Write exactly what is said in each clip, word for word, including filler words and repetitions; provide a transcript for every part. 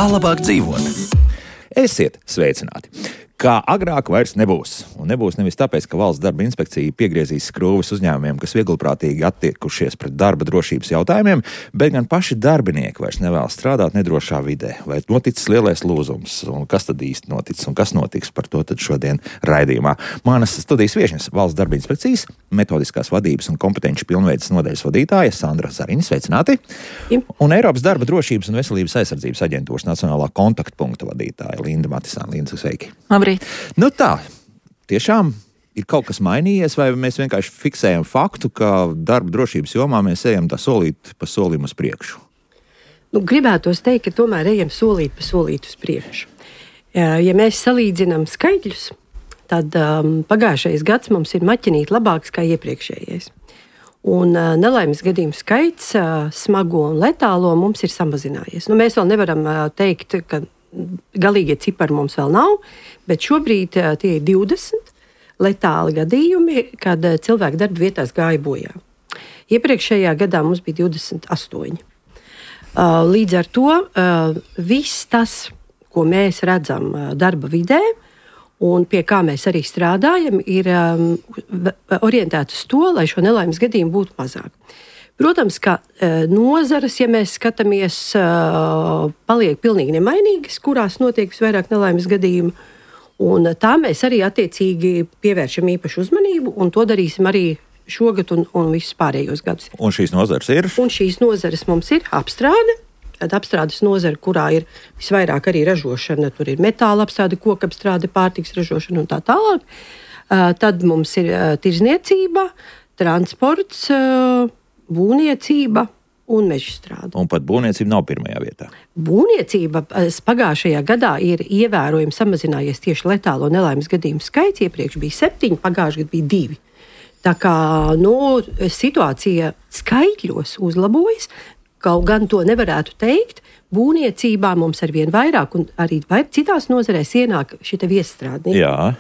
Kā labāk dzīvot? Esiet sveicināti! Kā agrāk vairs nebūs. Un nebūs nevis tāpēc, ka Valsts darba inspekcija piegriezīs skrūves uzņēmumiem, kas vieglprātīgi attiekušies pret darba drošības jautājumiem, bet gan paši darbinieki vairs nevēlas strādāt nedrošā vidē. Vai noticis lielais lūzums? Un kas tad īsti noticis? Un kas notiks? Par to tad šodien raidījumā. Manas studijas viešņas Valsts darba inspekcijas, metodiskās vadības un kompetenci pilnveides nodaļas vadītāja Sandra Zariņa, sveicināti. Un Eiropas darba drošības un veselības aizsardzības aģentūras nacionālā kontaktpunkta vadītāja Linda Matisāne. Linda, sveiki! Nu tā, tiešām ir kaut kas mainījies, vai mēs vienkārši fiksējam faktu, ka darba drošības jomā mēs ejam tā solīt pa solim uz priekšu? Nu, gribētos teikt, ka tomēr ejam solīt pa solīt uz priekšu. Ja mēs salīdzinām skaitļus, tad um, pagājušais gads mums ir maķinīt labāks kā iepriekšējais. Un uh, nelaimes gadījumu skaits, uh, smago un letālo mums ir samazinājies. Nu, mēs vēl nevaram uh, teikt, ka galīgie cipari mums vēl nav, bet šobrīd uh, tie ir divdesmit letāli gadījumi, kad uh, cilvēki darba vietās gāja bojā. Iepriekšējā gadā mums bija divdesmit astoņi. Uh, līdz ar to uh, viss tas, ko mēs redzam uh, darba vidē, un pie kā mēs arī strādājam, ir um, orientēts uz to, lai šo nelaimes gadījumu būtu mazāk. Protams, ka uh, nozares, ja mēs skatāmies, uh, paliek pilnīgi nemainīgas, kurās notiek visvairāk nelaimes gadījumu. Un tā mēs arī attiecīgi pievēršam īpašu uzmanību, un to darīsim arī šogad un, un visus pārējos gadus. Un šīs nozares ir? Un šīs nozares mums ir apstrāde. Tad apstrādes nozara, kurā ir visvairāk arī ražošana, tur ir metāla apstrāde, koka apstrāde, pārtiks ražošana un tā tālāk. Uh, tad mums ir uh, tirzniecība, transports, uh, būvniecība un mežstrāde. Un pat būvniecība nav pirmajā vietā. Būvniecība pagājušajā gadā ir ievērojami samazinājies tieši letālo nelaimes gadījumu skaits. Iepriekš bija septiņi, pagājušajā gadā bija divi. Tā kā nu, situācija skaitļos uzlabojas, kaut gan to nevarētu teikt, būvniecībā mums arvien vairāk un arī citās nozarēs ienāk šie viestrādnieki. Jā.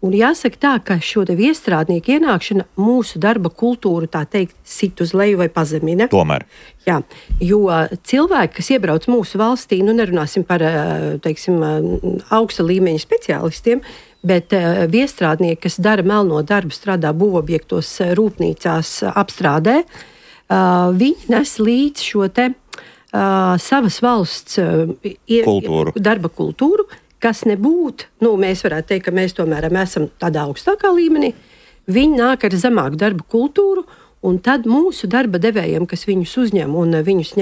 Un jāsaka tā, ka šo te viestrādnieku ienākšana mūsu darba kultūru, tā teikt, sit uz leju vai pazemina. Tomēr. Jā, jo cilvēki, kas iebrauc mūsu valstī, nu nerunāsim par, teiksim, augsta līmeņa speciālistiem, bet viestrādnieki, kas dara melno darbu, strādā būvobjektos, rūpnīcās, apstrādē, viņi nes līdz šo te savas valsts kultūru. darba kultūru, kas nebūtu, nu, mēs varētu teikt, ka mēs tomēr esam tādā augstākā līmenī, viņi nāk ar zemāku darba kultūru, un tad mūsu darba devējiem, kas viņus uzņem un viņus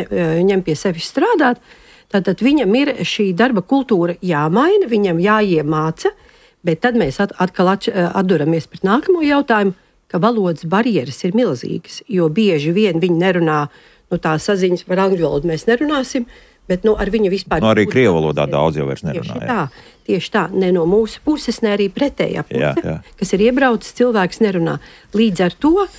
ņem pie sevis strādāt, tad viņam ir šī darba kultūra jāmaina, viņam jāiemāca, bet tad mēs atkal atduramies pret nākamo jautājumu, ka valodas barjeras ir milzīgas, jo bieži vien viņi nerunā, nu tā saziņas par angļu valodu mēs nerunāsim, bet nu, ar viņu vispār... No arī krievu valodā daudz jau vairs nerunā. Tieši tā, tieši tā, ne no mūsu puses, ne arī pretējā puse, jā, jā. Kas ir iebraucis, cilvēks nerunā. Līdz ar to uh,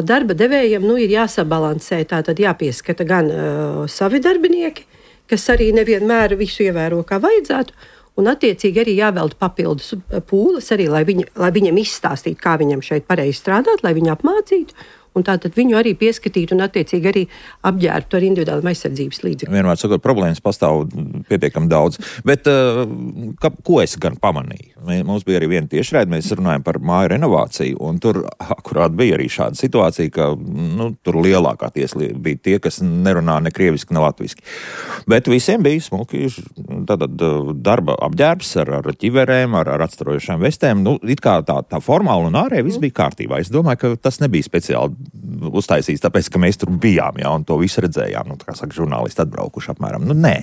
darba devējiem nu, ir jāsabalansē, tātad jāpieskata gan uh, savi darbinieki, kas arī nevienmēr visu ievēro kā vajadzētu, un attiecīgi arī jāvelta papildus pūles, arī, lai, viņi, lai viņam izstāstītu, kā viņam šeit pareizi strādāt, lai viņu apmācītu, un tātad viņu arī pieskatītu un attiecīgi arī apģērbtu ar individuālām aizsardzības līdzekļiem. Vienmēr sakot, problēmas pastāv pietiekami daudz. Bet ka, ko es gan pamanīju? Mums bija arī viena tiešraide, mēs runājam par māju renovāciju, un tur akurāt bija arī šāda situācija, ka nu, tur lielākā tiesa bija tie, kas nerunā ne krieviski, ne latviski. Bet visiem bija smuki tātad darba apģērbs ar, ar ķiverēm, ar, ar atstarojušām vestēm. Nu, it kā tā, tā formāli un ārēji viss bija kārtībā. Es domāju, ka tas nebija speciāli uztaisīts, tāpēc, ka mēs tur bijām, jā, un to visu redzējām, nu, kā saka, žurnālisti atbraukuši apmēram. Nu, nē.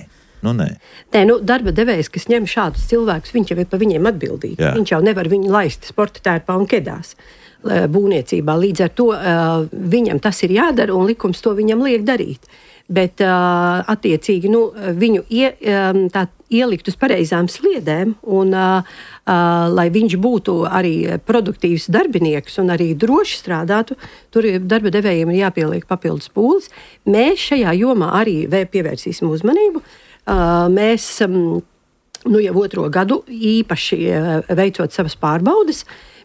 Nu, nē. Nē, nu, darba devējs, kas ņem šādus cilvēkus, viņš jau ir par viņiem atbildīgi. Jā. Viņš jau nevar viņu laist sporta tērpā un kedās būvniecībā. Līdz ar to uh, viņam tas ir jādara un likums to viņam liek darīt. Bet uh, attiecīgi nu, viņu ie, um, tā, ielikt uz pareizām sliedēm un uh, uh, lai viņš būtu arī produktīvs darbinieks un arī droši strādātu, tur darba devējiem ir jāpieliek papildus pūles. Mēs šajā jomā arī pievērsīsim uzmanību. Uh, mēs um, nu, jau otro gadu īpaši uh, veicot savas pārbaudes,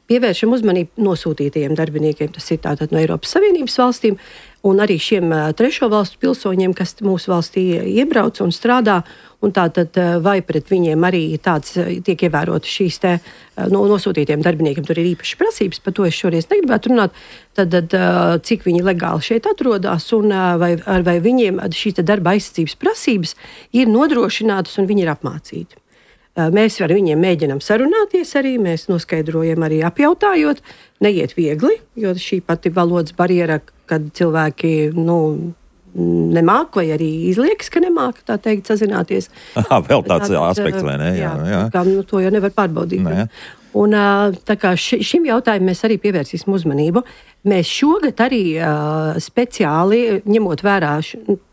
pievēršam uzmanību nosūtītajiem darbiniekiem, tas ir tātad no Eiropas Savienības valstīm, un arī šiem trešo valstu pilsoņiem, kas mūsu valstī iebrauc un strādā, un tātad vai pret viņiem arī tāds tiek ievērotas šīs te no, nosūtītiem darbiniekiem, tur ir īpašas prasības, par to es šoreiz negribētu runāt, tad, tad cik viņi legāli šeit atrodas, un vai, vai viņiem šīs te darba aizsardzības prasības ir nodrošinātas un viņi ir apmācīti. Mēs ar viņiem mēģinām sarunāties arī, mēs noskaidrojam arī apjautājot, neiet viegli, jo šī pati valodas barjera, kad cilvēki, nu, nemāk vai arī izliekas, ka nemāk, tā teikt, sazināties. Aha, vēl tāds tā, aspekts, vai ne? Jā, jā. jā. Kā, nu, to jau nevar pārbaudīt. Nē. Un tā kā šim jautājumam mēs arī pievērsīsim uzmanību. Mēs šogad arī uh, speciāli, ņemot vērā,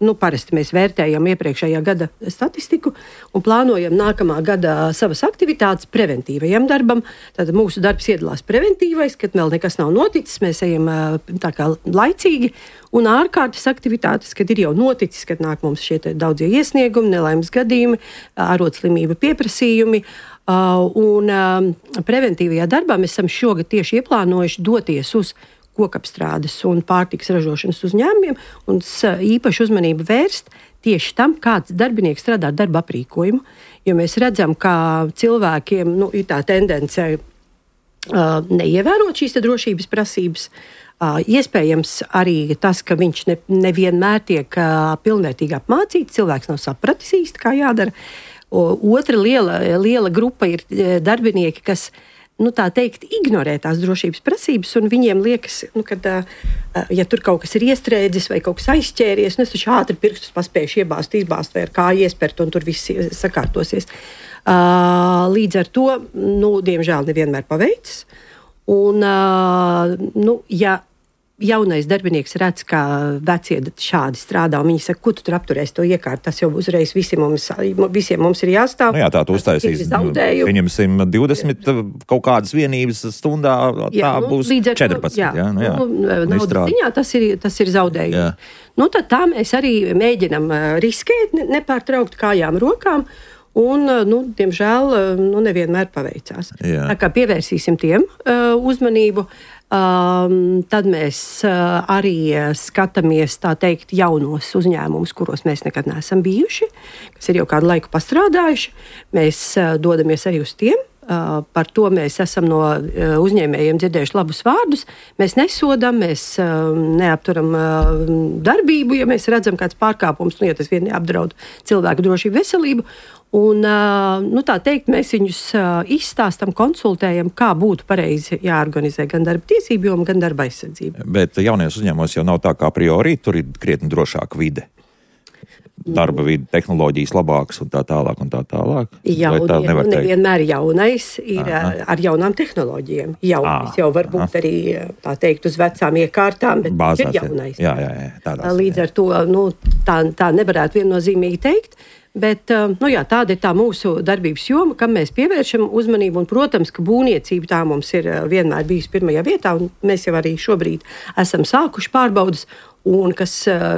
nu, parasti mēs vērtējam iepriekšējā gada statistiku un plānojam nākamā gada savas aktivitātes preventīvajam darbam. Tātad mūsu darbs iedalās preventīvais, kad vēl nekas nav noticis, mēs ejam uh, tā kā laicīgi, un ārkārtas aktivitātes, kad ir jau noticis, kad nāk mums šie daudzie iesniegumi, nelaimes gadījumi, arodslimība pieprasījumi. Uh, un uh, preventīvajā darbā mēs esam šogad tieši ieplānojuši doties uz kokapstrādes un pārtikas ražošanas uzņēmumiem un īpaši uzmanību vērst tieši tam, kāds darbinieks strādā ar darba aprīkojumu. Jo mēs redzam, ka cilvēkiem nu, ir tā tendence uh, neievērot šīs drošības prasības. Uh, iespējams arī tas, ka viņš ne, nevienmēr tiek uh, pilnvērtīgi apmācīts, cilvēks nav sapratis īsti, kā jādara. O, otra liela, liela grupa ir darbinieki, kas, nu, tā teikt, ignorē tās drošības prasības, un viņiem liekas, nu, ka, ja tur kaut kas ir iestrēdzis vai kaut kas aizķēries, nu, es taču ātri pirkstus paspējuši iebāzt, izbāzt vai ar kāju iespert, un tur viss sakārtosies. Līdz ar to, nu, diemžēl nevienmēr paveicis. Un, nu, ja jaunais darbinieks redz, ka vecie šādi strādā, un viņi saka, ko tu tur apturēsi to iekārtu, tas jau uzreiz visi mums, visiem mums ir jāstāv. Nu jā, tā tu uztaisīs, pieņemsim divdesmit kaut kādas vienības stundā, tā jā, nu, būs četrpadsmit. Jā, jā, nu jā. Nu, naudas ziņā tas ir, tas ir zaudējumi. Jā. Nu, tad tā mēs arī mēģinam riskēt, nepārtraukt kājām rokām, un, nu, diemžēl, nu, nevienmēr paveicās. Jā. Tā kā pievērsīsim tiem uh, uzmanību, Um, tad mēs uh, arī skatāmies, tā teikt, jaunos uzņēmumus, kuros mēs nekad neesam bijuši, kas ir jau kādu laiku pastrādājuši. Mēs uh, dodamies arī uz tiem. Uh, par to mēs esam no uh, uzņēmējiem dzirdējuši labus vārdus. Mēs nesodam, mēs uh, neapturam uh, darbību, ja mēs redzam kāds pārkāpums, nu, ja tas vien neapdraud cilvēku drošību, veselību. Un, nu, tā teikt, mēs viņus izstāstam, konsultējam, kā būtu pareizi jāorganizē gan darba tiesību joma, gan darba aizsardzība. Bet jaunajos uzņēmumos jau nav tā kā a priori, tur ir krietni drošāka vide. Darba vide, tehnoloģijas labākas un tā tālāk un tā tālāk. Jaunie, nu, nevienmēr jaunais ir aha. ar jaunām tehnoloģijām. Jaunais jau var būt arī, tā teikt, uz vecām iekārtām, bet bāzās, ir jaunais. Jā, jā, jā, tādās, Līdz jā. ar to, nu, tā, tā nevarētu viennozīmīgi teikt. Bet, nu jā, tāda ir tā mūsu darbības joma, kam mēs pievēršam uzmanību. Un, protams, ka būvniecība tā mums ir vienmēr bijusi pirmajā vietā, un mēs jau arī šobrīd esam sākuši pārbaudas. Un kas,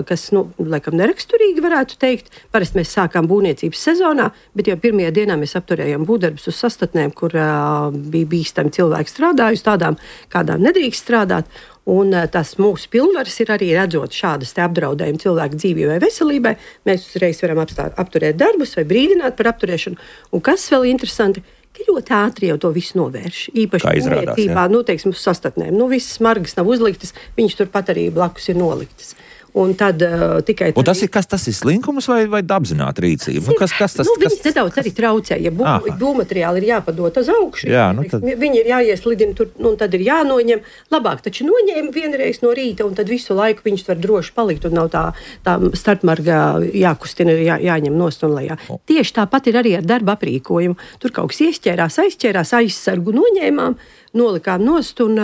kas nu, laikam neraksturīgi varētu teikt, parasti mēs sākām būvniecības sezonā, bet jau pirmajā dienā mēs apturējām būvdarbus uz sastatnēm, kur uh, bija bīstami cilvēki strādājuši, tādām, kādām nedrīkst strādāt. Un uh, tas mūsu pilnvaras ir arī redzot šādas te apdraudējumu cilvēku dzīvībai vai veselībai. Mēs uzreiz varam apstāt, apturēt darbus vai brīdināt par apturēšanu. Un kas vēl interesanti, ka ļoti ātri jau to visu novērš. Īpaši būvniecībā, nu, teiksim, uz sastatnēm. Nu, visas smargas nav uzliktas, viņas turpat arī blakus ir noliktas. Un tad uh, tikai... Un tas ir kas? Tas ir slinkums vai, vai apzināta rīcība? Nu, kas, kas tas, nu, viņas kas... nedaudz arī traucē. Ja bū, būvmateriāli ir jāpadot uz augšu, jā, nu, tad... viņi ir jāieslidina tur, nu, un tad ir jānoņem. Labāk taču noņēma vienreiz no rīta, un tad visu laiku viņš var droši palikt, un nav tā, tā starpmarga jākustina, jā, jāņem nost un lejā. O. Tieši tāpat ir arī ar darba aprīkojumu. Tur kaut kas iesķērās, aizķērās, aizsargu noņēmām, nolikām nost, un,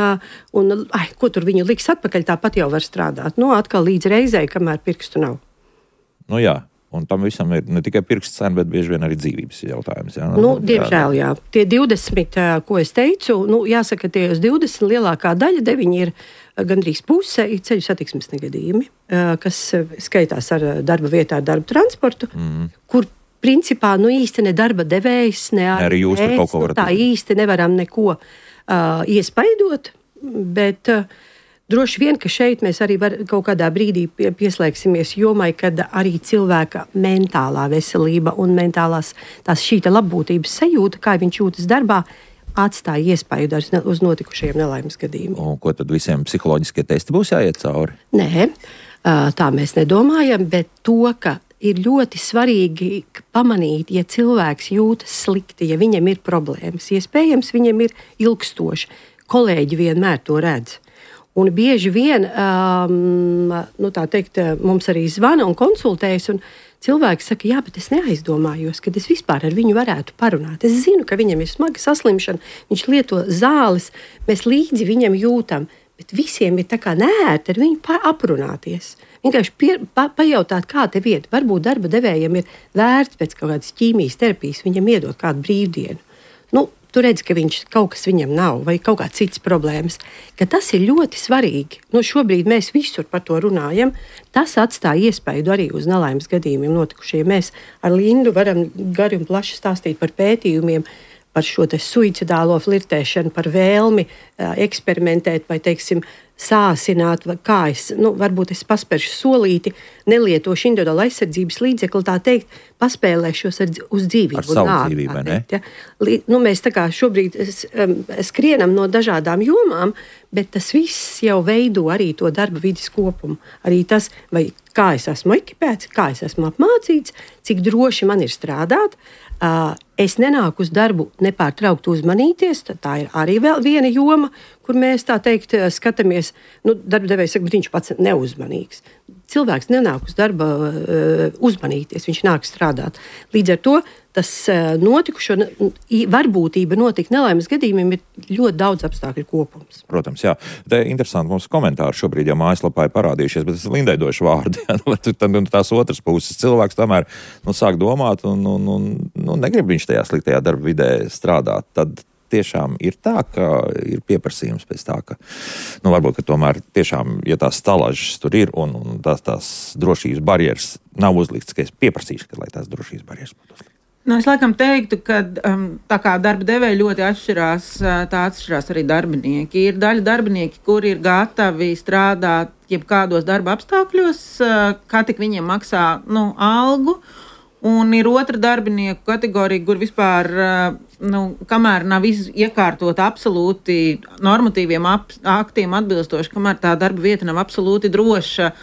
un ai, ko tur viņu liks atpakaļ, tāpat jau var strādāt. Nu, atkal līdz reizei, kamēr pirkstu nav. Nu jā, un tam visam ir ne tikai pirksts cena, bet bieži vien arī dzīvības jautājums. Jā? Nu, diemžēl, jā. Tie divdesmit, ko es teicu, nu, jāsaka, tie uz divdesmit lielākā daļa, deviņi ir gandrīz puse, ir ceļu satiksmes negadījumi, kas skaitās ar darba vietā, ar darba transportu, mm. kur principā, nu, īsti ne darba devējs, ne arī jūs tur kaut ko varat. Tā īsti nevaram neko Uh, iespaidot, bet uh, Droši vien, ka šeit mēs arī var, kaut kādā brīdī pieslēgsimies jomai, kad arī cilvēka mentālā veselība un mentālās tās šīta labbūtības sajūta, kā viņš jūtas darbā, atstāja iespaidu uz notikušajiem nelaimes gadījumiem. Un ko tad visiem psiholoģiskie testi būs jāiet cauri? Nē, tā mēs nedomājam, bet to, ka ir ļoti svarīgi pamanīt, ja cilvēks jūtas slikti, ja viņam ir problēmas, iespējams, viņam ir ilgstoši. Kolēģi vienmēr to redz. Un bieži vien um, nu, tā teikt, mums arī zvana un konsultējas, un cilvēki saka, jā, bet es neaizdomājos, kad es vispār ar viņu varētu parunāt. Es zinu, ka viņam ir smaga saslimšana, viņš lieto zāles, mēs līdzi viņam jūtam, bet visiem ir tā kā neērti ar viņu aprunāties. Vienkārši pie, pa, pajautāt, kā tev iet. Varbūt darba devējiem ir vērts pēc kaut kādas ķīmijas terapijas, viņam iedot kādu brīvdienu. Nu, tu redzi, ka viņš kaut kas viņam nav, vai kaut kāds cits problēmas, ka tas ir ļoti svarīgi. Nu, šobrīd mēs visur par to runājam. Tas atstāja iespaidu arī uz nelaimes gadījumiem notikušiem. Mēs ar Lindu varam gari un plaši stāstīt par pētījumiem, par šo te suicidālo flirtēšanu, par vēlmi uh, eksperimentēt vai, teiksim, sāsināt, vai kā es, nu, varbūt es paspēršu solīti, nelietošu individuālu aizsardzības līdzekli, tā teikt, paspēlēšos ar, uz dzīvību. Ar savu nāk, dzīvību, vai ne? Teikt, ja? Lī, nu, mēs tā kā šobrīd es, um, skrienam no dažādām jomām, bet tas viss jau veido arī to darba vidas kopumu. Arī tas, vai kā es esmu ekipēts, kā es esmu apmācīts, cik droši man ir strādāt. Uh, es nenāku uz darbu nepārtraukt uzmanīties, tā ir arī vēl viena joma, kur mēs tā teikt skatāmies, nu, darbdevējs saka, bet viņš pats neuzmanīgs. Cilvēks nenāk uz darba uh, uzmanīties, viņš nāk strādāt. Līdz ar to tas uh, notikušo varbūtība notikt nelaimes gadījumiem ir ļoti daudz apstākļu kopums. Protams, jā. Te interesanti mums komentāri šobrīd jau mājaslapā ir parādījušies, bet es Lindai došu vārdu. Tad tās otras puses cilvēks tomēr nu, sāk domāt un, un, un nu, negrib viņš tajā sliktajā darba vidē strādāt. Tad tiešām ir tā, ka ir pieprasījums pēc tā, ka, nu, varbūt, ka tomēr tiešām, ja tās stalažas tur ir un, un tās, tās drošības barjeras nav uzlikts, ka es pieprasīšu, ka, lai tās drošības barjeras būtu uzlikts. Nu, es laikam teiktu, ka um, tā kā darba devēja ļoti atšķirās, tā atšķirās arī darbinieki. Ir daļa darbinieki, kuri ir gatavi strādāt jebkādos darba apstākļos, kā tik viņiem maksā nu, algu. Un ir otra darbinieku kategorija, kur vispār, nu, kamēr nav iekārtota absolūti normatīviem ap, aktiem atbilstoši, kamēr tā darba vieta nav absolūti droša,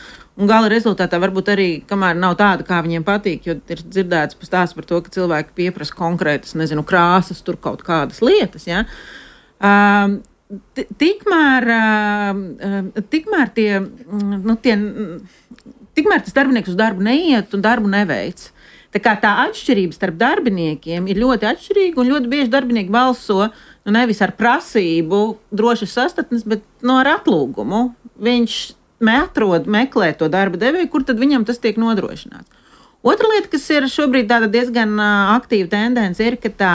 un gala rezultātā varbūt arī, kamēr nav tāda, kā viņiem patīk, jo ir dzirdēts stāsts par to, ka cilvēki pieprasa konkrētas, nezinu, krāsas, tur kaut kādas lietas, ja. Um, tikmēr, uh, tikmēr tie, nu, tie, tikmēr tas darbinieks uz darbu neiet un darbu neveic. Tā kā tā atšķirība starp darbiniekiem ir ļoti atšķirīga, un ļoti bieži darbinieki balso nu, nevis ar prasību drošas sastatnes, bet no ar atlūgumu. Viņš atrod, meklē to darba devēju, kur tad viņam tas tiek nodrošināts. Otra lieta, kas ir šobrīd tāda diezgan aktīva tendence, ir, ka tā,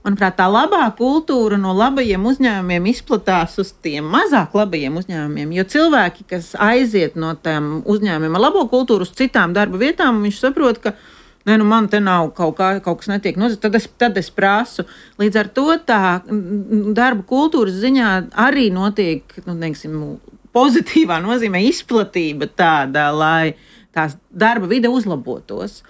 manuprāt, tā labā kultūra no labajiem uzņēmumiem izplatās uz tiem mazāk labajiem uzņēmumiem, jo cilvēki, kas aiziet no tām uzņēmumiem ar labo kultūru uz citām darba vietām, viņš saprot, ka ne, nu man te nav kaut, kā, kaut kas netiek nozīmēts, tad es, tad es prasu. Līdz ar to tā darba kultūras ziņā arī notiek, nu, teiksim, pozitīvā nozīmē izplatība tāda, lai tās darba vide uzlabotos.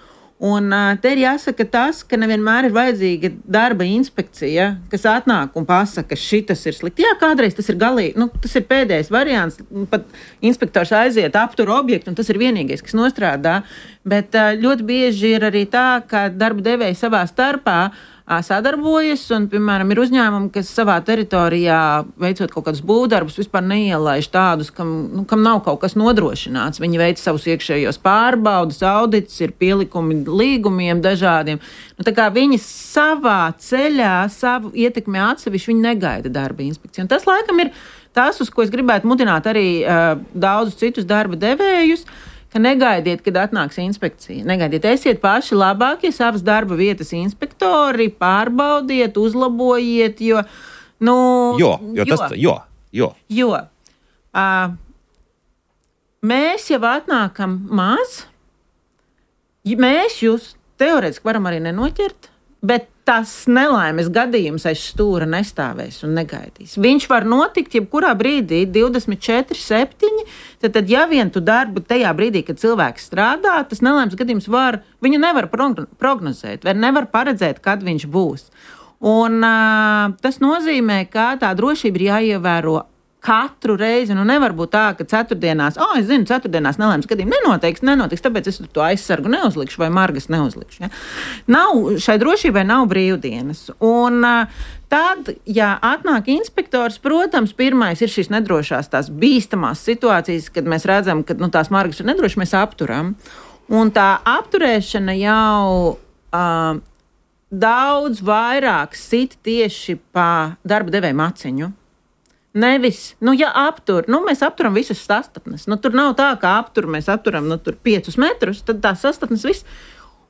Un te ir jāsaka tas, ka nevienmēr ir vajadzīga darba inspekcija, kas atnāk un pasaka, ka šitas ir slikti. Jā, kādreiz tas ir galīgi, nu, tas ir pēdējais variants, pat inspektors aiziet, aptur objektu, un tas ir vienīgais, kas nostrādā. Bet ļoti bieži ir arī tā, ka darba devēji savā starpā sadarbojas, un, piemēram, ir uzņēmumi, kas savā teritorijā, veicot kaut kādus būvdarbus, vispār neielaiž tādus, kam, nu, kam nav kaut kas nodrošināts. Viņi veic savus iekšējos pārbaudas, audits, ir pielikumi līgumiem dažādiem. Nu, tā kā viņi savā ceļā, savu ietekmi atsevišķi, viņi negaida darba inspekciju. Un tas, laikam, ir tas, uz ko es gribētu mudināt arī uh, daudzus citus darba devējus, ka negaidiet, kad atnāks inspekcija. Negaidiet, esiet paši labākie savas darba vietas inspektori, pārbaudiet, uzlabojiet, jo, nu... Jo, jo, jo. Tas, jo, jo. Jo. Uh, mēs jau atnākam maz, mēs jūs teorētiski varam arī nenoķert, bet tas nelaimes gadījums aiz stūra nestāvēs un negaidīs. Viņš var notikt jebkurā brīdī, divdesmit četri septiņi, tad, tad ja vien tu darbu tajā brīdī, kad cilvēks strādā, tas nelaimes gadījums var, viņu nevar prognozēt, vai nevar paredzēt, kad viņš būs. Un uh, tas nozīmē, ka tā drošība ir jāievēro katru reizi. Nu nevar būt tā, ka ceturtdienās, o, es zinu, ceturtdienās nelaimes gadījumi nenotiks, nenotiks, tāpēc es to aizsargu neuzlikšu vai margas neuzlikšu. Ja? Nav, šai drošībai nav brīvdienas. Un uh, tad, ja atnāk inspektors, protams, pirmais ir šīs nedrošās, tās bīstamās situācijas, kad mēs redzam, ka nu, tās margas ir nedrošas, mēs apturam. Un tā apturēšana jau uh, daudz vairāk sit tieši pa darba devēja maciņu. Nevis, nu, ja aptur, nu, mēs apturam visas sastatnes. Nu, tur nav tā, ka aptur, mēs apturam, nu, tur piecus metrus, tad tā sastatnes viss.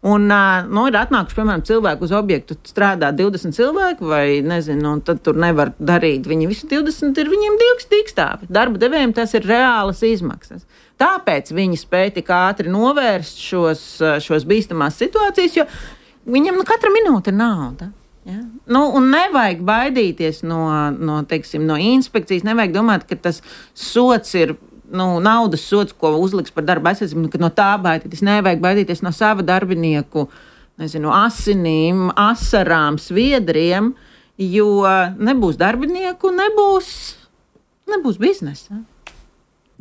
Un, nu, ir atnākuši, piemēram, cilvēku uz objektu, strādā divdesmit cilvēku, vai, nezinu, un tad tur nevar darīt. Viņi visi divdesmit ir viņiem divs dīkstāvi. Darba devējiem tas ir reālas izmaksas. Tāpēc viņi spēja tik ātri novērst šos, šos bīstamās situācijas, jo viņam nu, katra minūte ir nauda. Ja? Nu, un nevajag baidīties no, no, teiksim, no inspekcijas, nevajag domāt, ka tas sots ir nu, naudas sots, ko uzliks par darba aizsardzību, ka no tā baidīties. Nevajag baidīties no sava darbinieku, nezinu, asinīm, asarām, sviedriem, jo nebūs darbinieku, nebūs, nebūs biznesa.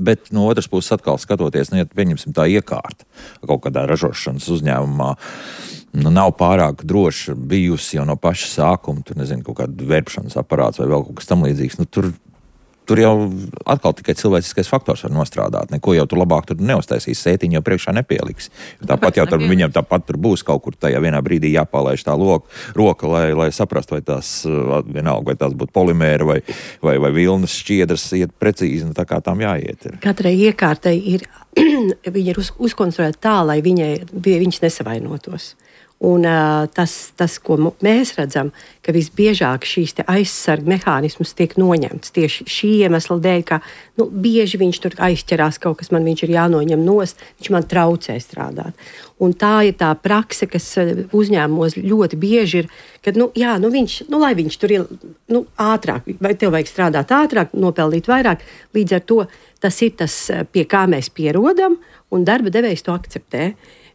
Bet no otras puses atkal skatoties, nu, ja pieņemsim tā iekārta kaut kādā ražošanas uzņēmumā, nu, nav pārāk droši bijusi jau no paša sākuma, tur nezinu, kaut kāda vērpšanas aparāts vai vēl kaut kas tam līdzīgs. Nu, tur, tur jau atkal tikai cilvēciskais faktors var nostrādāt. Neko jau tur labāk tur neuztaisīs, sētiņu jau priekšā nepieliks. Tāpat jau tur, viņam tāpat tur būs kaut kur tajā vienā brīdī jāpalaiž tā loka, roka, lai, lai saprastu, vai tās vienalga, vai tās būtu polimēra vai, vai, vai vilnas šķiedras iet precīzi, nu, tā kā tām jāiet. Ir. Katrai iekārtai ir, viņa ir uz, uzkonstruēta tā, lai viņai, viņas nesavainotos. Un uh, tas, tas, ko mēs redzam, ka visbiežāk šīs aizsarga mehānismus tiek noņemts tieši šī iemesla dēļ, ka nu, bieži viņš tur aizķerās kaut kas, man viņš ir jānoņem nost, viņš man traucē strādāt. Un tā ir tā prakse, kas uzņēmumos ļoti bieži ir, ka, nu, jā, nu viņš, nu, lai viņš tur ir nu, ātrāk, vai tev vajag strādāt ātrāk, nopelnīt vairāk, līdz ar to tas ir tas, pie kā mēs pierodam, un darba devējs to akceptē.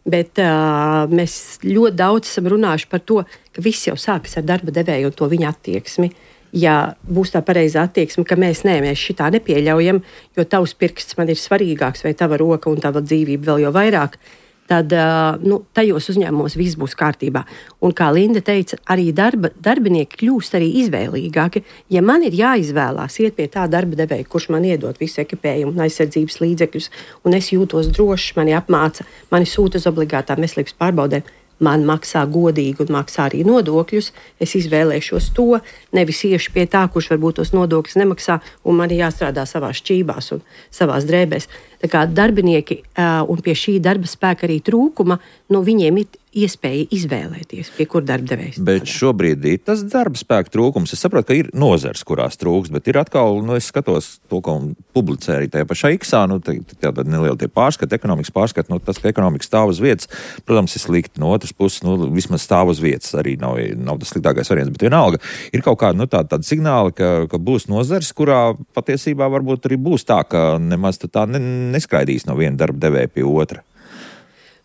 Bet uh, mēs ļoti daudz esam runājuši par to, ka viss jau sākas ar darba devēju un to viņa attieksmi. Ja būs tā pareizā attieksme, ka mēs nē, mēs šitā nepieļaujam, jo tavs pirksts man ir svarīgāks vai tava roka un tava dzīvība vēl jau vairāk, tad uh, nu, tajos uzņēmumos viss būs kārtībā. Un kā Linda teica, arī darba, darbinieki kļūst arī izvēlīgāki. Ja man ir jāizvēlās iet pie tā darba devēja, kurš man iedod visu ekipējumu un aizsardzības līdzekļus, un es jūtos drošs, mani apmāca, mani sūta uz obligātām veselības pārbaudēm, man maksā godīgi un maksā arī nodokļus, es izvēlēšos to, nevis iešu pie tā, kurš varbūt tos nodokļus nemaksā, un man ir jāstrādā savās šķībās un savās drēbēs. Tā kā darbinieki uh, un pie šī darba spēka arī trūkuma, nu, viņiem ir iespēja izvēlēties, pie kur darba devējs. Bet šobrīd ir tas darba spēka trūkums. Es saprotu, ka ir nozars, kurās trūks, bet ir atkal, nu, es skatos to, ko publicē arī tajā pašā Iksā, nu, tāda neliela tie pārskati, ekonomikas pārskati, nu, tas, ka ekonomika stāv uz vietas, protams, ir slikti. No otras puses, nu, vismaz stāv uz vietas arī nav, nav tas sliktākais variants, bet vienalga ir kaut kāda, nu, tāda, tāda signāla, ka, ka būs nozars, kurā patiesībā varbūt arī būs tā, ka nemaz tā ne, neskraidīs no viena darba devēja pie otra.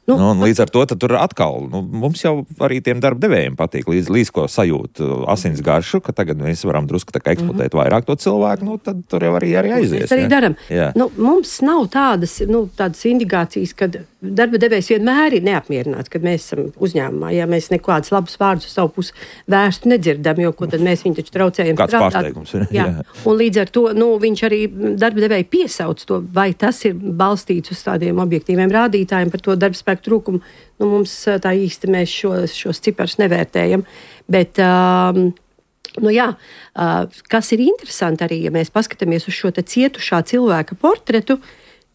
Nu, nu, līdz ar to tur atkal, nu, mums jau arī tiem darba devējiem patīk, līdz, līdz ko sajūt asins garšu, ka tagad mēs varam drusku tā kā eksploatēt mm-hmm. vairāk to cilvēku, nu, tad tur jau arī, arī aizies. Mēs arī ja? daram. Nu, mums nav tādas, nu, tādas indikācijas, kad darba devējs vienmēr ir neapmierināts, kad mēs esam uzņēmumā, ja mēs nekādus labus vārdus uz savu pusi vērstu nedzirdam, jo ko tad mēs viņu taču traucējam Kāds strādāt. Pārsteigums ir. Jā. Jā. Un līdz ar to, nu, viņš arī darba devēja piesauc to, vai tas ir balstīts uz tādiem objektīviem rādītājiem par to darba spēku trūkumu. Nu, mums tā īsti mēs šos, šos ciparus nevērtējam, bet um, nu jā, uh, kas ir interesanti arī, ja mēs paskatāmies uz šo te cietušā cilvēka portretu,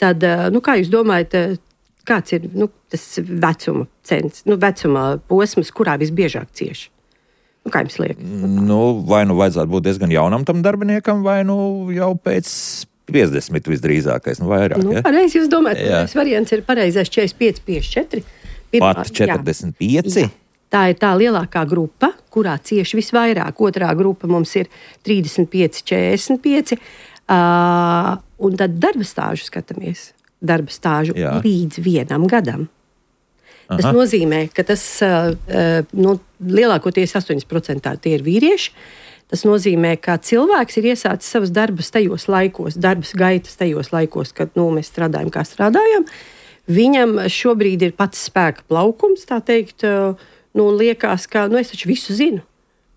tad, uh, nu, kā jūs domājat, kāds ir nu, tas vecuma cents, nu, vecuma posms, kurā visbiežāk cieši? Nu, kā jums liekas? Nu, vai nu vajadzētu būt diezgan jaunam tam darbiniekam, vai nu jau pēc piecdesmit visdrīzākais, nu vairāk. Nu, ja? Pareizi jūs domājat, ka variants ir pareizais četrdesmit pieci, piecdesmit četri. Pirmā, Pat četrdesmit pieci? Jā. tā ir tā lielākā grupa, kurā cieši visvairāk. Otrā grupa mums ir trīsdesmit pieci, četrdesmit pieci. Uh, un tad darba stāžu skatāmies. Darba stāžu Jā. līdz vienam gadam. Tas Aha. nozīmē, ka tas uh, nu, lielākoties astoņdesmit procenti tie ir vīrieši. Tas nozīmē, ka cilvēks ir iesācis savas darbas tajos laikos, darbas gaitas tajos laikos, kad nu, mēs strādājam, kā strādājam. Viņam šobrīd ir pats spēka plaukums, tā teikt, uh, nu, liekas, ka nu, es taču visu zinu.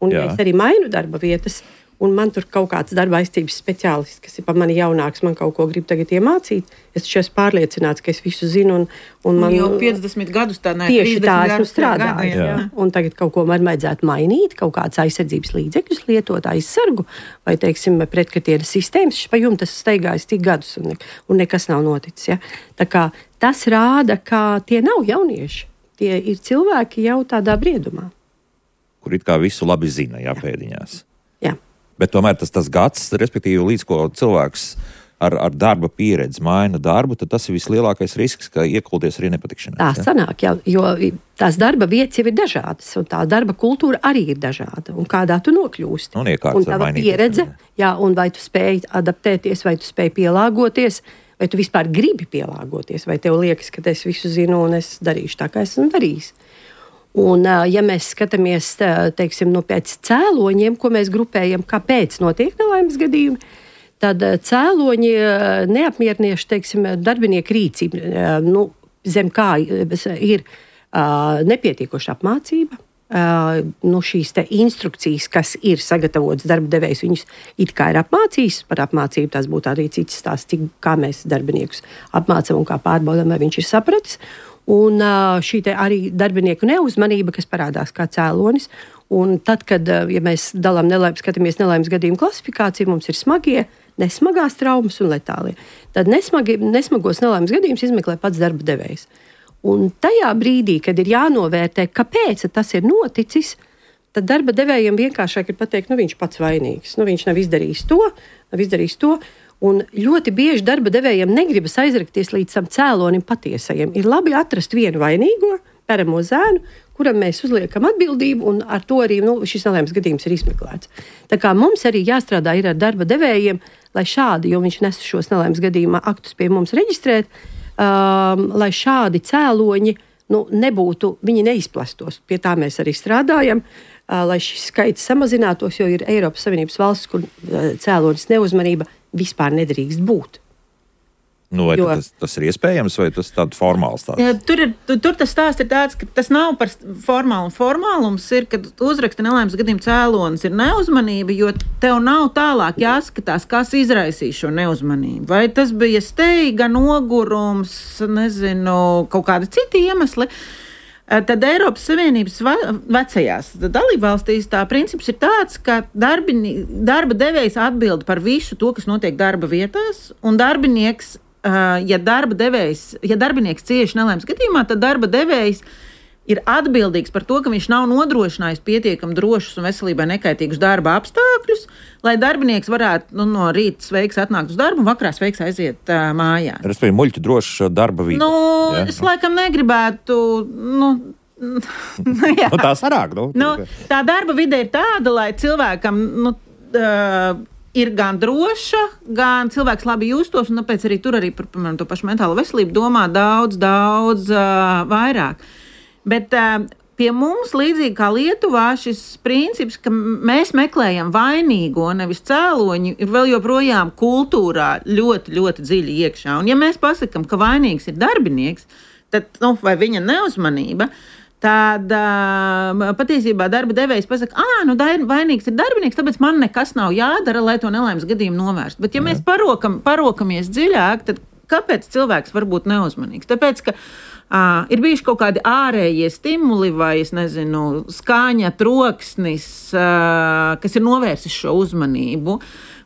Un ja es arī mainu darba vietas, un man tur kaut kāds darba aizcības speciālists, kas ir par mani jaunāks, man kaut ko grib tagad iemācīt. Es taču esmu pārliecināts, ka es visu zinu. Un, un man, jau piecdesmit gadus tā, ne, tieši tā esmu strādājis. Ja? Un tagad kaut ko man vajadzētu mainīt, kaut kādas aizsardzības līdzekļus lietot, aizsargu, vai, teiksim, pretkritieras sistēmas. Pa jums tas staigājas tik gadus, un, ne, un nekas nav noticis. Ja? Tā kā tas rāda, ka tie nav jaunieši. Tie ir cilvēki jau tādā briedumā. Kur it kā visu labi zina, jā, pēdiņās. Jā. Bet tomēr tas, tas gads, respektīvi, līdz ko cilvēks ar, ar darba pieredzi maina darbu, tad tas ir vislielākais risks, ka iekulties arī nepatikšanās. Tā ja? sanāk, jā, jo tās darba vietas jau ir dažādas, un tā darba kultūra arī ir dažāda, un kādā tu nokļūsti. Un, un tava pieredze, jā, un vai tu spēj adaptēties, vai tu spēj pielāgoties, vai tu vispār gribi pielāgoties, vai tev liekas, ka es visu zinu un es darīšu tā, kā esmu darījis. Un, ja mēs skatāmies teiksim, nu, pēc cēloņiem, ko mēs grupējam, kāpēc notiek nelaimes gadījumi, tad cēloņi neapmierinoši, teiksim, darbinieku rīcība, nu, zem kā ir uh, nepietiekoša apmācība, uh, nu, šīs te instrukcijas, kas ir sagatavotas darba devējs, viņus it kā ir apmācījis. Par apmācību tās būtu arī cits stāsts, cik, kā mēs darbiniekus apmācam un kā pārbaudam, vai viņš ir sapratis. Un šī arī darbinieku neuzmanība, kas parādās kā cēlonis. Un tad, kad ja mēs dalām nelaimes, skatāmies nelaimes gadījumu klasifikāciju, mums ir smagie, nesmagās traumas un letālie. Tad nesmagi, nesmagos nelaimes gadījumus izmeklē pats darba devējs. Un tajā brīdī, kad ir jānovērtē, kāpēc tas ir noticis, tad darba devējiem vienkāršāk ir pateikt, nu viņš pats vainīgs, nu viņš nav izdarījis to, nav izdarījis to. Un ļoti bieži darba devējiem negribas aizrakties līdz tam cēlonim patiesajam. Ir labi atrast vienu vainīgo, peramo zēnu, kuram mēs uzliekam atbildību, un ar to arī nu, šis nelaimes gadījums ir izmeklēts. Tā kā mums arī jāstrādā ir ar darba devējiem, lai šādi, jo viņš nes šos nelaimes gadījuma aktus pie mums reģistrēt, um, lai šādi cēloņi nu, nebūtu, viņi neizplastos. Pie tā mēs arī strādājam, uh, lai šis skaits samazinātos, jo ir Eiropas Savienības valsts, kur uh, cēlonis neuzmanība vispār nedrīkst būt. Nu, vai jo, tas, tas ir iespējams, vai tas tāds formāls tāds? Jā, tur, ir, tur, tur tas stāsts ir tāds, ka tas nav par formālu. Formālums ir, kad uzraksta nelaimes gadījuma cēlonis ir neuzmanība, jo tev nav tālāk jāskatās, kas izraisīs šo neuzmanību. Vai tas bija steiga, nogurums, nezinu, kaut kādi citi iemesli. Tad Eiropas Savienības vecajās dalībvalstīs tā princips ir tāds, ka darbini, darba devējs atbild par visu to, kas notiek darba vietās, un darbinieks, ja darba devējs, ja darbinieks cieši nelaimes gadījumā, tad darba devējs ir atbildīgs par to, ka viņš nav nodrošinājis pietiekami drošus un veselībai nekaitīgus darba apstākļus, lai darbinieks varētu nu, no rīta sveiks atnākt uz darbu un vakarā sveiks aiziet uh, mājā. Respektīvi, muļķi droša darba vīda. Nu, ja? Es laikam negribētu... Nu, nu, tā sarāk. Nu, nu, tā darba vide ir tāda, lai cilvēkam nu, uh, ir gan droša, gan cilvēks labi justos, un tāpēc arī tur arī par piemēram, to pašu mentālo veselību domā daudz, daudz uh, vairāk. Bet uh, pie mums, līdzīgi kā Lietuvā, šis princips, ka mēs meklējam vainīgo, nevis cēloņu, ir vēl joprojām kultūrā ļoti, ļoti dziļi iekšā. Un ja mēs pasakam, ka vainīgs ir darbinieks, tad, nu, vai viņa neuzmanība, tad uh, patiesībā darba devējs pasaka, ā, nu, vainīgs ir darbinieks, tāpēc man nekas nav jādara, lai to nelaimes gadījumu novērstu. Bet ja mēs parokam, parokamies dziļāk, tad kāpēc cilvēks var būt neuzmanīgs? Tāpēc, ka Uh, ir bijuši kaut kādi ārējie stimuli vai, es nezinu, skaņa, troksnis, uh, kas ir novērsis šo uzmanību.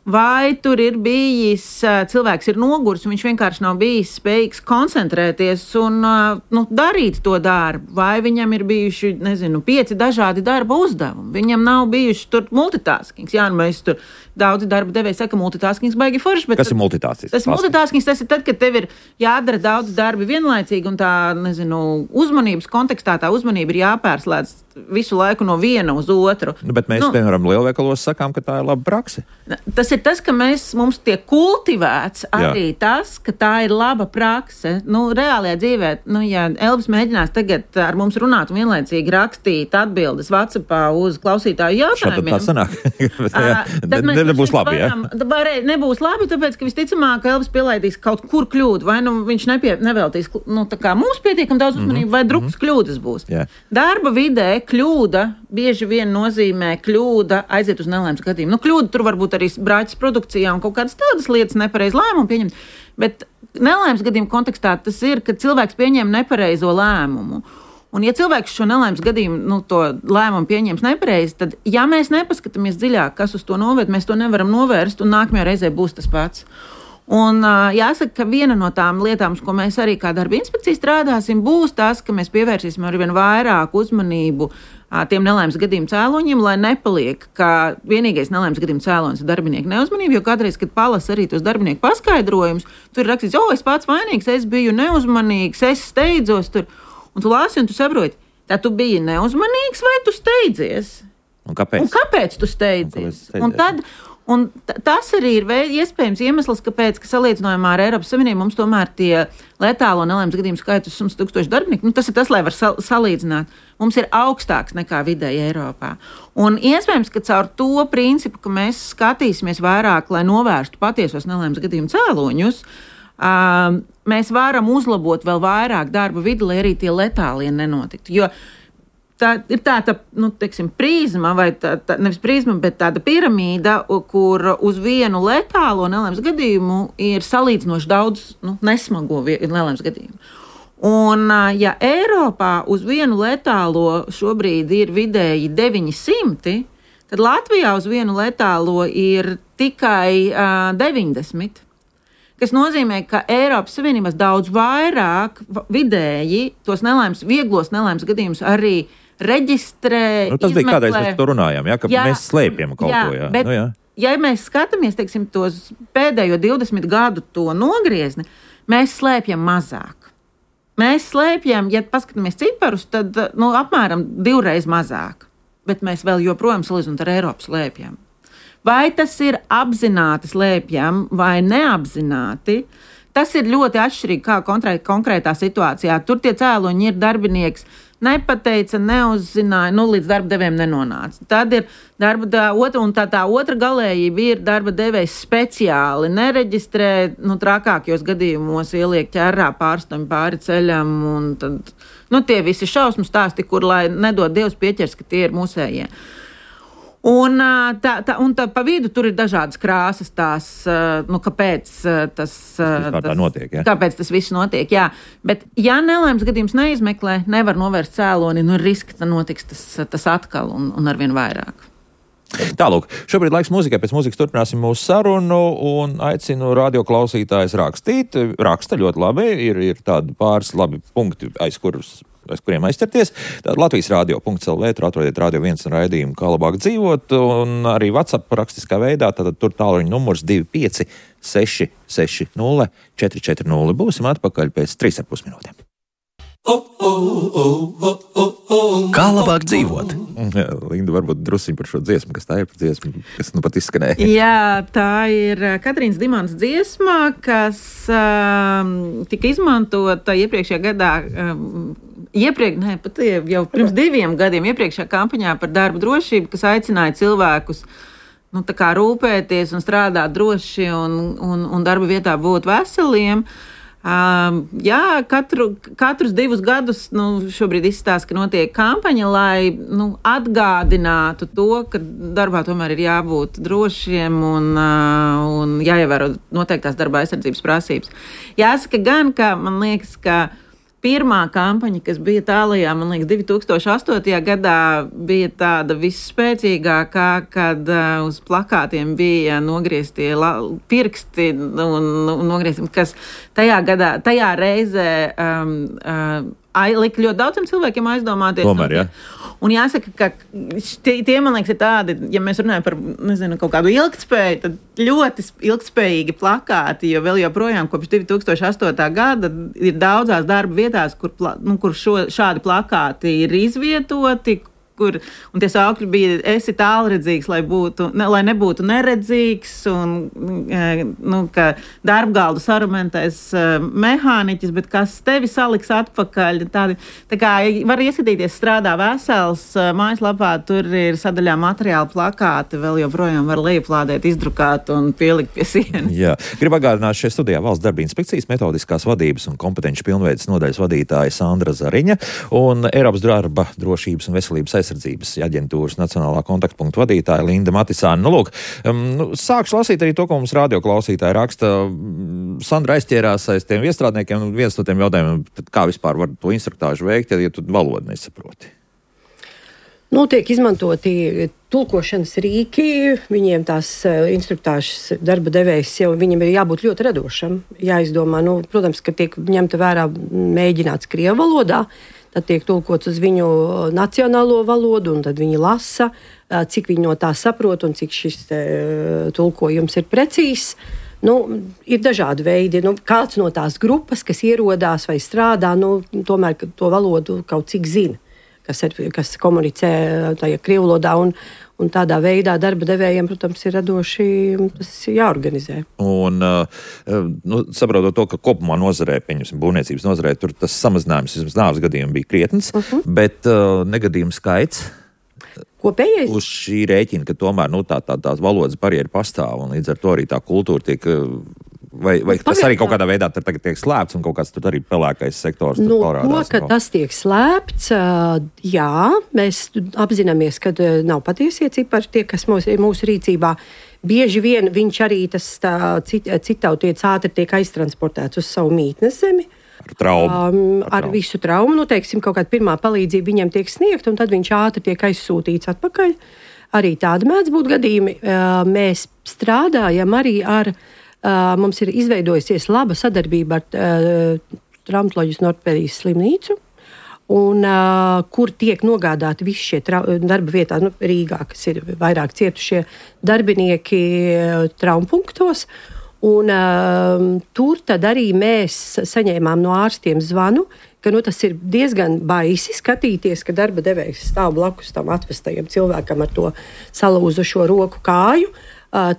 Vai tur ir bijis, uh, cilvēks ir noguris, un viņš vienkārši nav bijis spējīgs koncentrēties un uh, nu, darīt to darbu. Vai viņam ir bijuši, nezinu, pieci dažādi darba uzdevumi. Viņam nav bijuši tur multitaskings. Jā, nu mēs tur daudzi darba devēji saka, multitaskings baigi forši. Bet kas ir multitaskings? Tas multitaskings, tas ir tad, kad tev ir jādara daudz darbi vienlaicīgi un tā, nezinu, uzmanības kontekstā tā uzmanība ir jāpērslēdz visu laiku no viena uz otru. Nu, bet mēs, nu, piemēram, lielveikalos sakām, ka tā ir laba prakse. Tas ir tas, ka mēs, mums tiek kultivēts arī Jā. tas, ka tā ir laba prakse. Nu, reālajā dzīvē, nu, ja Elvis mēģinās tagad ar mums runāt un vienlaicīgi rakstīt atbildes WhatsAppā uz klausītāju jautājumiem. Šādi tā sanāk. Tad ne, mēs nebūs labi, varam, ja? Nebūs labi, tāpēc, ka visticamāk Elvis pielaidīs kaut kur kļūdu, vai nu viņš nepie, neveltīs, nu, tā kā mums pietiekam daudz uzmanību, mm-hmm. vai drupas kļūdas būs. Yeah. Darba vidē kļūda bieži vien nozīmē kļūda aiziet uz nelaimes gadījumu. Nu, kļūda tur varbūt arī brāķis produkcijā un kaut kādas tādas lietas nepareiz lēmumu pieņemt, bet nelaimes gadījumu kontekstā tas ir, ka cilvēks pieņem nepareizo lēmumu. Un ja cilvēks šo nelaimes gadījumu, nu, to lēmumu pieņems nepareizi, tad, ja mēs nepaskatāmies dziļāk, kas uz to noved, mēs to nevaram novērst un nākamajā reizē būs tas pats. Un jāsaka, ka viena no tām lietām, ko mēs arī kā darba inspekcija strādāsim, būs tas, ka mēs pievērsīsim arvien vairāk uzmanību tiem nelaimes gadījumu cēloņiem, lai nepaliek, ka vienīgais nelaimes gadījumu cēlonis ir darbinieku neuzmanība, jo kādreiz, kad palasa arī tos darbinieku paskaidrojumus, tur ir rakstīts, o, es pats vainīgs, es biju neuzmanīgs, es steidzos tur, un tu lāsi un tu saproti, tā tu biji neuzmanīgs vai tu steidzies? Un kāpēc? Un kāpēc tu steidzies? Un, un tad... Un t- tas arī ir veid, iespējams iemesls, kāpēc, ka salīdzinājumā ar Eiropas Savienību mums tomēr tie letālo nelaimes gadījumu skaits uz simts tūkstošu darbinieku, nu, tas ir tas, lai var sal- salīdzināt, mums ir augstāks nekā vidēji Eiropā. Un iespējams, ka caur to principu, ka mēs skatīsimies vairāk, lai novērstu patiesos nelaimes gadījumu cēloņus, uh, mēs varam uzlabot vēl vairāk darba vidi, lai arī tie letālie nenotiktu. Jo tā ir tāda, nu, teiksim, prizma, vai tā, tā, nevis prizma, bet tāda piramīda, kur uz vienu letālo nelaimes gadījumu ir salīdzinoši daudz, nu, nesmago nelaimes gadījumu. Un, ja Eiropā uz vienu letālo šobrīd ir vidēji deviņi simti, tad Latvijā uz vienu letālo ir tikai uh, deviņdesmit. Kas nozīmē, ka Eiropas Savienības daudz vairāk vidēji tos nelaimes, vieglos nelaimes gadījumus arī reģistrē, nu, tas izmeklē. bija kādreiz, mēs to runājām, ja, ka jā, mēs slēpjam kaut jā, ko. Jā. Bet, nu, jā. Ja mēs skatāmies, teiksim, tos pēdējo divdesmit gadu to nogriezni, mēs slēpjam mazāk. Mēs slēpjam, ja paskatāmies ciparus, tad nu, apmēram divreiz mazāk. Bet mēs vēl joprojām salīdzinot ar Eiropu slēpjam. Vai tas ir apzināti slēpjam vai neapzināti, tas ir ļoti atšķirīgi kā konkrētā situācijā. Tur tie cēloņi ir darbinieks nepateica, neuzzināja, nu, līdz darba devējiem nenonāca. Tad ir darba da, otra, un tā, tā otra galējība ir darba devējs speciāli nereģistrē, nu, trakākajos gadījumos ieliek ķerrā pārstāvju pāri ceļam, un tad, nu, tie visi šausmu stāsti, kur, lai nedod Dievs pieķers, ka tie ir mūsējie. Un, tā, tā, un tā pa vidu tur ir dažādas krāsas tās, nu, kāpēc tas, tas, notiek, ja? kāpēc tas viss notiek, jā. Bet, ja nelaimes gadījums neizmeklē, nevar novērst cēloni, nu, riski, ka notiks tas, tas atkal un, un arvien vairāk. Tālūk, šobrīd laiks mūzikai, pēc mūzikas turpināsim mūsu sarunu un aicinu radioklausītājus rakstīt. Raksta ļoti labi, ir, ir tādi pāris labi punkti, aiz kurus aiz kuriem aizķerties. Tātad Latvijas radio punkts el vē, tur atrodiet Radio viens un raidījumu, kā labāk dzīvot, un arī WhatsApp rakstiskā veidā, tātad tur tālruņa numurs divi pieci seši seši nulle četri četri nulle. Būsim atpakaļ pēc trīs ar pus minūtēm. Kā labāk dzīvot? Jā, Linda, varbūt drusiņ par šo dziesmu, kas tā ir par dziesmu, kas nu pat izskanēja. Jā, tā ir Katrīnas Dimants dziesma, kas um, tika izmantota iepriekšējā gadā, um, iepriek, ne, pat jau pirms diviem gadiem, iepriekšējā kampaņā par darba drošību, kas aicināja cilvēkus nu, tā kā rūpēties un strādāt droši un, un, un darba vietā būt veseliem. Um, jā, katru, katrus divus gadus nu, šobrīd izstāsta, ka notiek kampaņa, lai nu, atgādinātu to, ka darbā tomēr ir jābūt drošiem un, uh, un jāievēro noteiktās darba aizsardzības prasības. Jāsaka gan, ka man liekas, ka pirmā kampaņa, kas bija tālajā, man liekas, divi tūkstoši astotajā gadā, bija tāda visspēcīgākā, kad uh, uz plakātiem bija nogrieztie la- pirksti un, un nogriezti, kas tajā gadā, tajā reizē um, uh, lika ļoti daudziem cilvēkiem aizdomāties. Tomēr, jā. Un jāsaka, ka tie, tie, man liekas, ir tādi, ja mēs runājam par, nezinu, kaut kādu ilgtspēju, tad ļoti ilgtspējīgi plakāti, jo vēl joprojām kopš divi tūkstoši astotā gada ir daudzās darba vietās, kur, pla, nu, kur šo, šādi plakāti ir izvietoti, kur, un tie saukļi bija, esi tālredzīgs, lai, būtu, ne, lai nebūtu neredzīgs, un nu, ka darbgaldu sarumentēs mehāniķis, bet kas tevi saliks atpakaļ. Tādi, tā kā var ieskatīties strādā vesels, mājaslapā tur ir sadaļā materiāli plakāti, vēl joprojām var lejuplādēt, izdrukāt un pielikt pie sienas. Jā, gribu atgādināt šajā studijā Valsts darba inspekcijas metodiskās vadības un kompetenci pilnveides nodaļas vadītāja Sandra Zariņa un Eiropas darba drošības un veselības aizsardzības aģentūras nacionālā kontaktpunkta vadītāja Linda Matisāne. Nu, lūk, um, sākšu lasīt arī to, ko mums radioklausītāji raksta. Sandra aizķērās aiz tiem iestrādniekiem, un viens no tiem jautājumiem, kā vispār var to instruktāžu veikt, ja tu valodu nesaproti. Nu, tiek izmantoti tulkošanas rīki, viņiem tās instruktāžas darba devējs jau viņam ir jābūt ļoti radošam, jāizdomā. Nu, protams, ka tiek ņemta vērā mēģināts krievu valodā, tad tiek tulkots uz viņu nacionālo valodu, un tad viņi lasa, cik viņi no tā saprot un cik šis tulkojums ir precīzs. Nu, ir dažādi veidi. Nu, kāds no tās grupas, kas ierodās vai strādā, nu, tomēr to valodu kaut cik zina, kas, ir, kas komunicē tajā krievu valodā, un, un tādā veidā darba devējiem, protams, ir radoši tas jāorganizē. Un, nu, saprotot to, ka kopumā nozarē, pieņemsim, būvniecības nozarē, tur tas samazinājums, vismaz nāves gadījumi bija krietns, uh-huh. bet uh, negadījumu skaits kopējais uz šī rēķina, ka tomēr nu, tā, tā, tā valodas barjera pastāv, un līdz ar to arī tā kultūra tiek... Vai, vai tas arī kaut kādā veidā tagad tiek slēpts, un kaut kāds tur arī pelēkais sektors nu, parādās? To, ka tas tiek slēpts, jā, mēs apzināmies, ka nav patiesie cipari tie, kas mūsu, mūsu rīcībā. Bieži vien viņš arī tas cit, citautietis ātri tiek aiztransportēts uz savu mītnes zemi. Ar traumu. Um, ar, ar traumu. visu traumu, nu, teiksim, kaut kāda pirmā palīdzība viņam tiek sniegta, un tad viņš ātri tiek aizsūtīts atpakaļ. Arī tādi mēdz būt gadījumi. Uh, mēs strādājam arī ar Uh, mums ir izveidojusies laba sadarbība ar uh, traumatoloģijas un ortopēdijas slimnīcu, un, uh, kur tiek nogādāti visi šie trau- darba vietā, nu, Rīgā, kas ir vairāk cietušie darbinieki uh, traumpunktos. Un, uh, tur tad arī mēs saņēmām no ārstiem zvanu, ka nu, tas ir diezgan baisi skatīties, ka darba devējs stāv blakus tam atvestajam cilvēkam ar to salūzušo roku kāju, uh,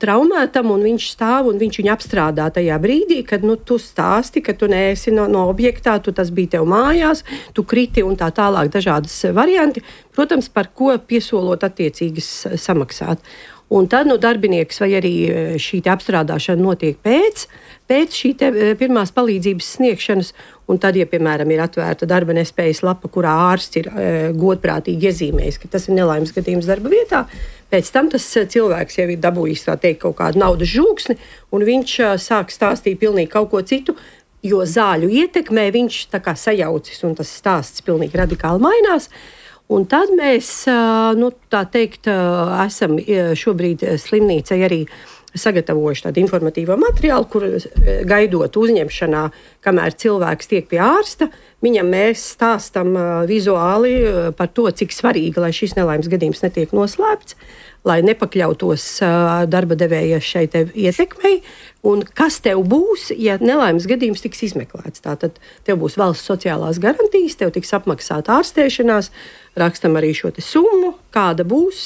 traumētam, un viņš stāv un viņš viņu apstrādā tajā brīdī, kad nu, tu stāsti, ka tu neesi no, no objektā, tu tas bija tev mājās, tu kriti un tā tālāk dažādas varianti, protams, par ko piesolot attiecīgas samaksāt. Un tad nu, darbinieks vai arī šī apstrādāšana notiek pēc, pēc šī pirmās palīdzības sniegšanas. Un tad, ja, piemēram, ir atvērta darba nespējas lapa, kurā ārsts ir e, godprātīgi iezīmējis, ka tas ir nelaimes gadījums darba vietā, pēc tam tas cilvēks jau ir dabūjis tā teikt kaut kādu naudas žūksni, un viņš sāk stāstīt pilnīgi kaut ko citu, jo zāļu ietekmē viņš tā kā sajaucis, un tas stāsts pilnīgi radikāli mainās. Un tad mēs, nu, tā teikt, esam šobrīd slimnīcai arī sagatavojuši tādu informatīvo materiālu, kur gaidot uzņemšanā, kamēr cilvēks tiek pie ārsta, viņam mēs stāstam vizuāli par to, cik svarīgi, lai šis nelaimes gadījums netiek noslēpts, lai nepakļautos darba devēja šai te ietekmei, un kas tev būs, ja nelaimes gadījums tiks izmeklēts. Tātad tev būs valsts sociālās garantijas, tev tiks apmaksāta ārstēšanās, rakstam arī šo te summu, kāda būs,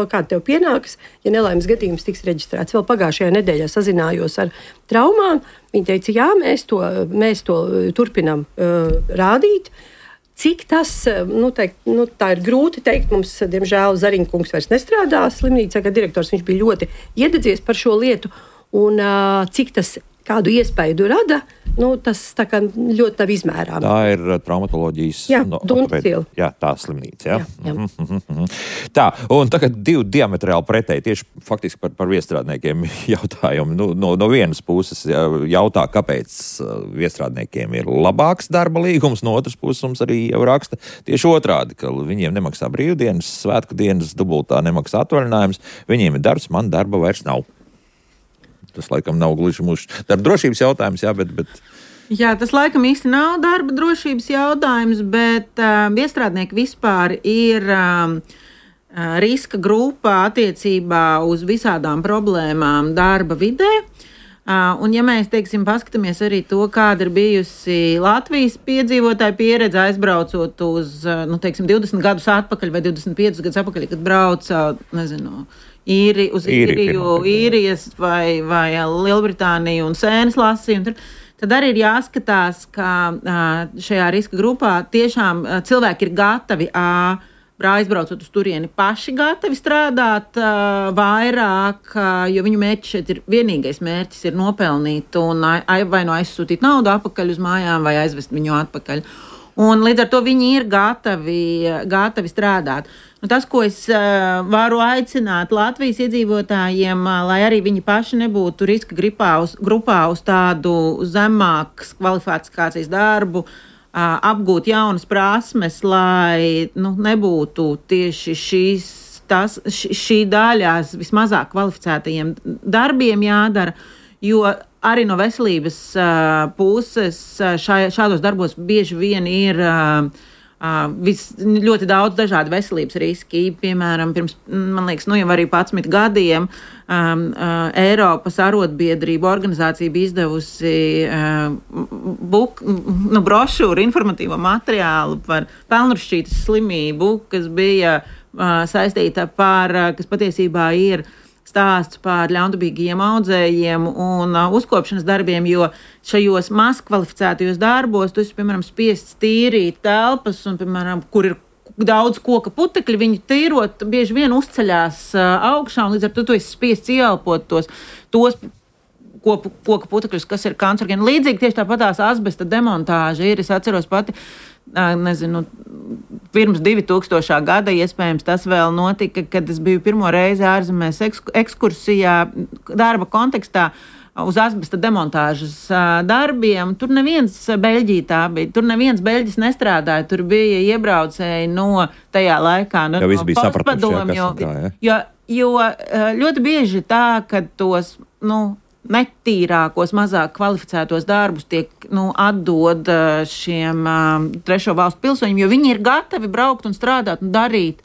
kāda tev pienāks, ja nelaimes gadījums tiks reģistrēts. Vēl pagājušajā nedēļā sazinājos ar traumām, viņi teica, jā, mēs to, mēs to turpinam uh, rādīt. Cik tas, nu, teikt, nu, tā ir grūti teikt, mums, diemžēl, Zariņkungs vairs nestrādā slimnīcā, kā direktors, viņš bija ļoti iededzies par šo lietu, un uh, cik tas kādu iespaidu rada, nu, tas tā kā ļoti nav izmērāms. Tā ir traumatoloģijas... Jā, no, Duncila. Jā, tā slimnīca, jā. jā, jā. Mm-hmm. Tā, un tagad divi diametrāli pretēji, tieši faktiski par, par viestrādniekiem jautājumi. Nu, no, no vienas puses jautā, kāpēc viestrādniekiem ir labāks darba līgums, no otras puses mums arī jau raksta tieši otrādi, ka viņiem nemaksā brīvdienas, svētku dienas, dubultā nemaksā atvaļinājums, viņiem ir darbs, man darba vairs nav. Tas laikam nav gluži mūsu darba drošības jautājums, jā, bet... bet... Jā, tas laikam īsti nav darba drošības jautājums, bet uh, viestrādnieki vispār ir uh, riska grupā attiecībā uz visādām problēmām darba vidē. Uh, un, ja mēs, teiksim, paskatāmies arī to, kāda ir bijusi Latvijas piedzīvotāja pieredze, aizbraucot uz, nu, teiksim, divdesmit gadus atpakaļ vai divdesmit piecus gadus atpakaļ, kad brauca, nezinu, īri, uz Īriju, Īrijas vai, vai Lielbritāniju un sēnes lasīja, un tur, tad arī ir jāskatās, ka uh, šajā riska grupā tiešām uh, cilvēki ir gatavi ā, aizbraucot uz turieni paši gatavi strādāt uh, vairāk, uh, jo viņu mērķis šeit ir vienīgais mērķis ir nopelnīt un ai, vai no aizsūtīt naudu atpakaļ uz mājām vai aizvest viņu atpakaļ. Un līdz ar to viņi ir gatavi, gatavi strādāt. Nu, tas, ko es uh, varu aicināt Latvijas iedzīvotājiem, uh, lai arī viņi paši nebūtu riska grupā uz, grupā uz tādu zemākas kvalifikācijas darbu, apgūt jaunas prasmes, lai nu, nebūtu tieši šīs, tas, šī daļās vismazāk kvalificētajiem darbiem jādara, jo arī no veselības uh, puses šā, šādos darbos bieži vien ir uh, uh, vis, ļoti daudz dažādu veselības riski. Piemēram, pirms, man liekas, nu jau arī padsmit gadiem um, uh, Eiropas arotbiedrību organizācija bija izdevusi uh, buk, nu, brošūru, informatīvo materiālu par pelnrašķītes slimību, kas bija uh, saistīta par, uh, kas patiesībā ir stāsts par ļaundabīgiem audzējiem un uh, uzkopšanas darbiem, jo šajos mazkvalificētajos darbos tu esi, piemēram, spiests tīrīt telpas un, piemēram, kur ir daudz koka putekļi, viņi tīrot bieži vien uzceļās uh, augšā un līdz ar to tu esi spiests ieelpot tos, tos kopu, koka putekļus, kas ir kancerogēni. Līdzīgi tieši tāpatās asbesta demontāža ir, es atceros pati, nezinu, pirms divi tūkstošā gada, iespējams, tas vēl notika, kad es biju pirmo reizi ārzemēs ekskursijā darba kontekstā uz asbesta demontāžas darbiem. Tur neviens Beļģija tā bija, tur neviens Beļģis nestrādāja, tur bija iebraucēji no tajā laikā, no, no postpadomju, jo, jo, jo ļoti bieži tā, ka tos, nu, netīrākos, mazāk kvalificētos darbus tiek nu, atdod šiem um, trešo valstu pilsoņiem, jo viņi ir gatavi braukt un strādāt un darīt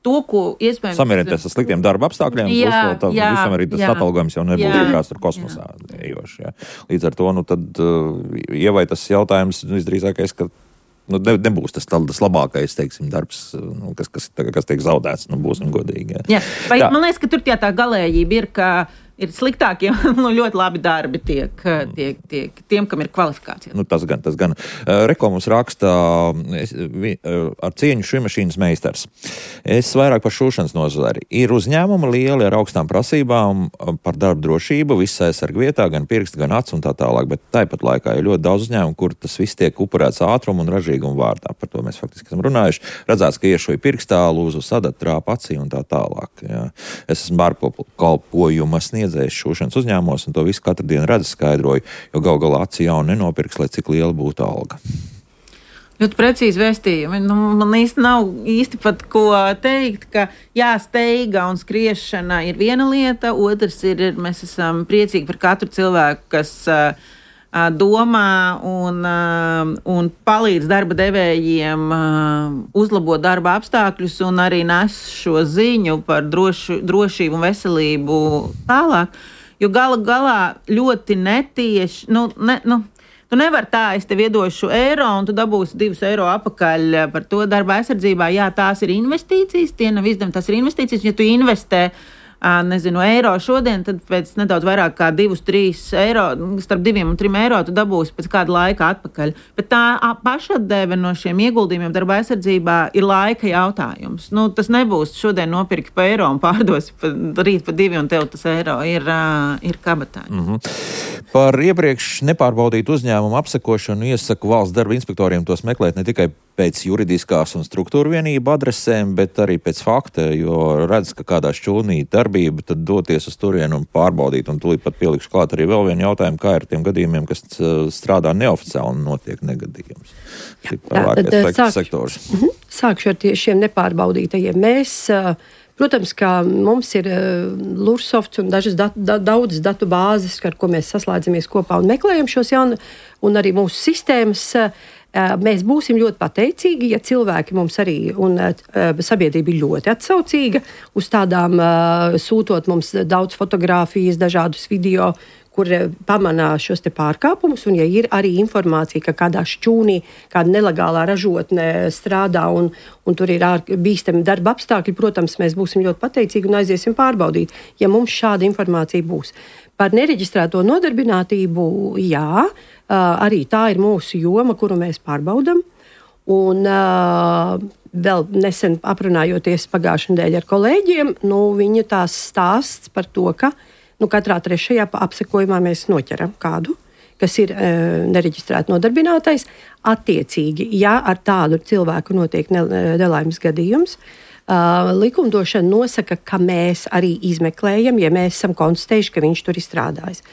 to, ko iespējams... Samierināties ar sliktiem darba apstākļiem, jā, plus tā, jā, visam arī tas jā, atalgojums jau nebūtu kāds tur kosmosā ejoši. Jā. Līdz ar to, nu tad, uh, ievai tas jautājums visdrīzākais, ka nu, ne, nebūs tas, tas labākais, teiksim, darbs, nu, kas, kas, kas tiek zaudēts, nu, būsim godīgi. Jā. Jā, vai, man liekas, ka tur tie tā galējība ir, ka ir sliktākie, nu, ļoti labi darbi tiek, tiek, tiek tiem, kam ir kvalifikācija. Nu, tas gan, tas gan. Reko mums raksta es, vi, ar cieņu šūmašīnas meistars. Es vairāk par šūšanas nozari. Ir uzņēmumi lieli ar augstām prasībām par darba drošību, viss aizsarg vietā, gan pirksti, gan acs un tā tālāk, bet tāpat laikā ir ļoti daudz uzņēmumu, kur tas viss tiek upurēts ātrumu un ražīgumu vārdā. Par to mēs faktiski esam runājuši. Redzēts, ka iešoja pirkstā, lūzu sadat, trāpa acī un tā tālāk. Jā. Es esmu bārpakalpojuma sniedzējs šūšanas uzņēmumos, un to visu katru dienu redzu skaidroju, jo gal galā aci jau nenopirks, lai cik liela būtu alga. Ļoti precīzi vēstījumi. Nu, man īsti nav īsti pat ko teikt, ka jā, steiga un skriešana ir viena lieta, otrs ir, mēs esam priecīgi par katru cilvēku, kas uh, domā un, uh, un palīdz darba devējiem uh, uzlabot darba apstākļus un arī nes šo ziņu par drošu, drošību un veselību tālāk. Jo gala galā ļoti netieši, nu, ne, nu, tu nevar tā, es tev iedošu eiro un tu dabūsi divus eiro apakaļ par to darba aizsardzībā. Jā, tās ir investīcijas, tie nav izdevumi, tas ir investīcijas. Ja tu investē nezinu, eiro šodien, tad pēc nedaudz vairāk kā divus, trīs eiro, starp diviem un trim eiro tu dabūsi pēc kāda laika atpakaļ. Bet tā pašatdeve no šiem ieguldījumiem darba aizsardzībā ir laika jautājums. Nu, tas nebūs šodien nopirki pa eiro un pārdosi pa, rīt pa divi un tev tas eiro ir, ir kabatā. Mm-hmm. Par iepriekš nepārbaudītu uzņēmumu apsekošanu iesaku valsts darba inspektoriem tos meklēt ne tikai pēc juridiskās un struktūra vienību adresēm, bet arī pēc fakta, jo redz, ka kādā šķūnī darbība, tad doties uz turienu un pārbaudīt. Un tūlīt pat pielikšu klāt arī vēl vienu jautājumu, kā ir tiem gadījumiem, kas strādā neoficiāli un notiek negadījums. Jā, tad sākšu, sākšu ar tie, šiem nepārbaudītajiem. Mēs, protams, ka mums ir Lursofts un dažas dat, da, daudzas datu bāzes, ar ko mēs saslēdzamies kopā un meklējam šos jaunu, un arī mūsu sistēmas. Mēs būsim ļoti pateicīgi, ja cilvēki mums arī un sabiedrība ir ļoti atsaucīga uz tādām, sūtot mums daudz fotogrāfijas, dažādus video, kur pamanā šos te pārkāpumus, un ja ir arī informācija, ka kādā šķūnī kāda nelegālā ražotne strādā un, un tur ir bīstami darba apstākļi, protams, mēs būsim ļoti pateicīgi un aiziesim pārbaudīt, ja mums šāda informācija būs. Par nereģistrēto nodarbinātību, jā, arī tā ir mūsu joma, kuru mēs pārbaudam. Un uh, vēl nesen aprunājoties pagājušajā nedēļā ar kolēģiem, nu, viņa tās stāsts par to, ka nu, katrā trešajā apsekojumā mēs noķeram kādu, kas ir e, nereģistrēti nodarbinātais. Attiecīgi, ja ar tādu cilvēku notiek nelaimes gadījums, uh, likumdošana nosaka, ka mēs arī izmeklējam, ja mēs esam konstatējuši, ka viņš tur ir strādājis.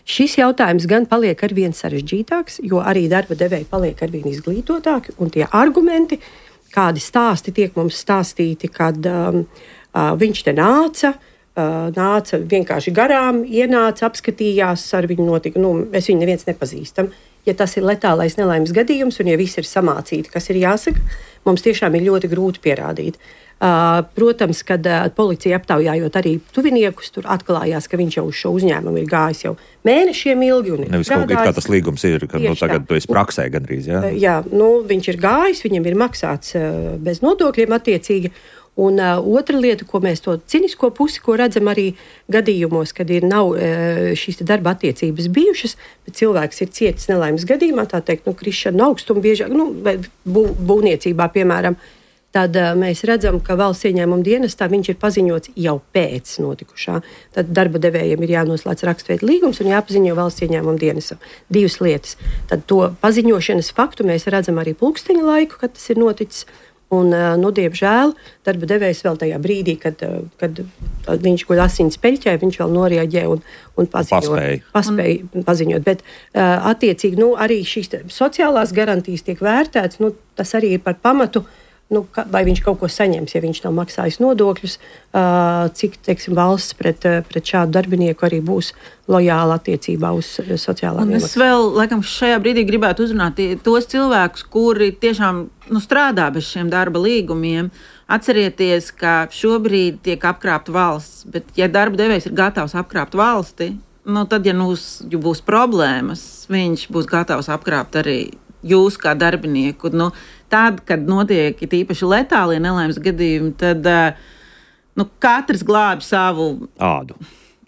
Šis jautājums gan paliek arvien sarežģītāks, jo arī darba devēji paliek arvien izglītotāki, un tie argumenti, kādi stāsti tiek mums stāstīti, kad um, uh, viņš te nāca, Uh, nāca vienkārši garām, ienāca, apskatījās, ar viņu notika, nu, mēs viņu neviens nepazīstam. Ja tas ir letālais nelaimes gadījums, un ja viss ir samācīti, kas ir jāsaka, mums tiešām ir ļoti grūti pierādīt. Uh, protams, kad uh, policija aptaujājot arī tuviniekus, tur atklājās, ka viņš jau uz šo uzņēmumu ir gājis jau mēnešiem ilgi. Nevis kaut kā tas līgums ir, ka nu, tagad tu esi praksē gandrīz, jā? Uh, jā, nu, viņš ir gājis, viņam ir maksāts uh, bez nodokļiem attiecīgi. Un uh, otra lieta, ko mēs to cinisko pusi, ko redzam arī gadījumos, kad ir nav uh, šīs darba attiecības bijušas, bet cilvēks ir cietis nelaimes gadījumā, tā teikt, nu, krišana augstuma biežāk, nu, bū, būvniecībā, piemēram, tad uh, mēs redzam, ka valsts ieņēmuma dienestā viņš ir paziņots jau pēc notikušā. Tad darba devējiem ir jānoslēdz rakstveida līgums un jāpaziņo valsts ieņēmuma dienestam. Divas lietas. Tad to paziņošanas faktu mēs redzam arī pulksteņa laiku, kad tas ir noticis. Un, nu, diemžēl, darba devējs vēl tajā brīdī, kad, kad viņš guļ asins peļķē, viņš vēl norieģē un, un paziņoja. Paspēja un... paziņot. Bet, attiecīgi, nu, arī šīs sociālās garantijas tiek vērtētas, nu, tas arī ir par pamatu, nu, vai viņš kaut ko saņems, ja viņš nav maksājis nodokļus, cik, teiksim, valsts pret, pret šādu darbinieku arī būs lojāla attiecībā uz sociālām iemaksām. Es vēl, laikam, šajā brīdī gribētu uzrunāt tos cilvēkus, kuri tiešām nu, strādā bez šiem darba līgumiem. Atcerieties, ka šobrīd tiek apkrāpta valsts, bet ja darba devējs ir gatavs apkrāpt valsti, nu, tad, ja mums būs problēmas, viņš būs gatavs apkrāpt arī jūs kā darbinieku. Nu, tad, kad notiek īpaši letālie nelaimes gadījumi, tad nu, katrs glābi savu ādu.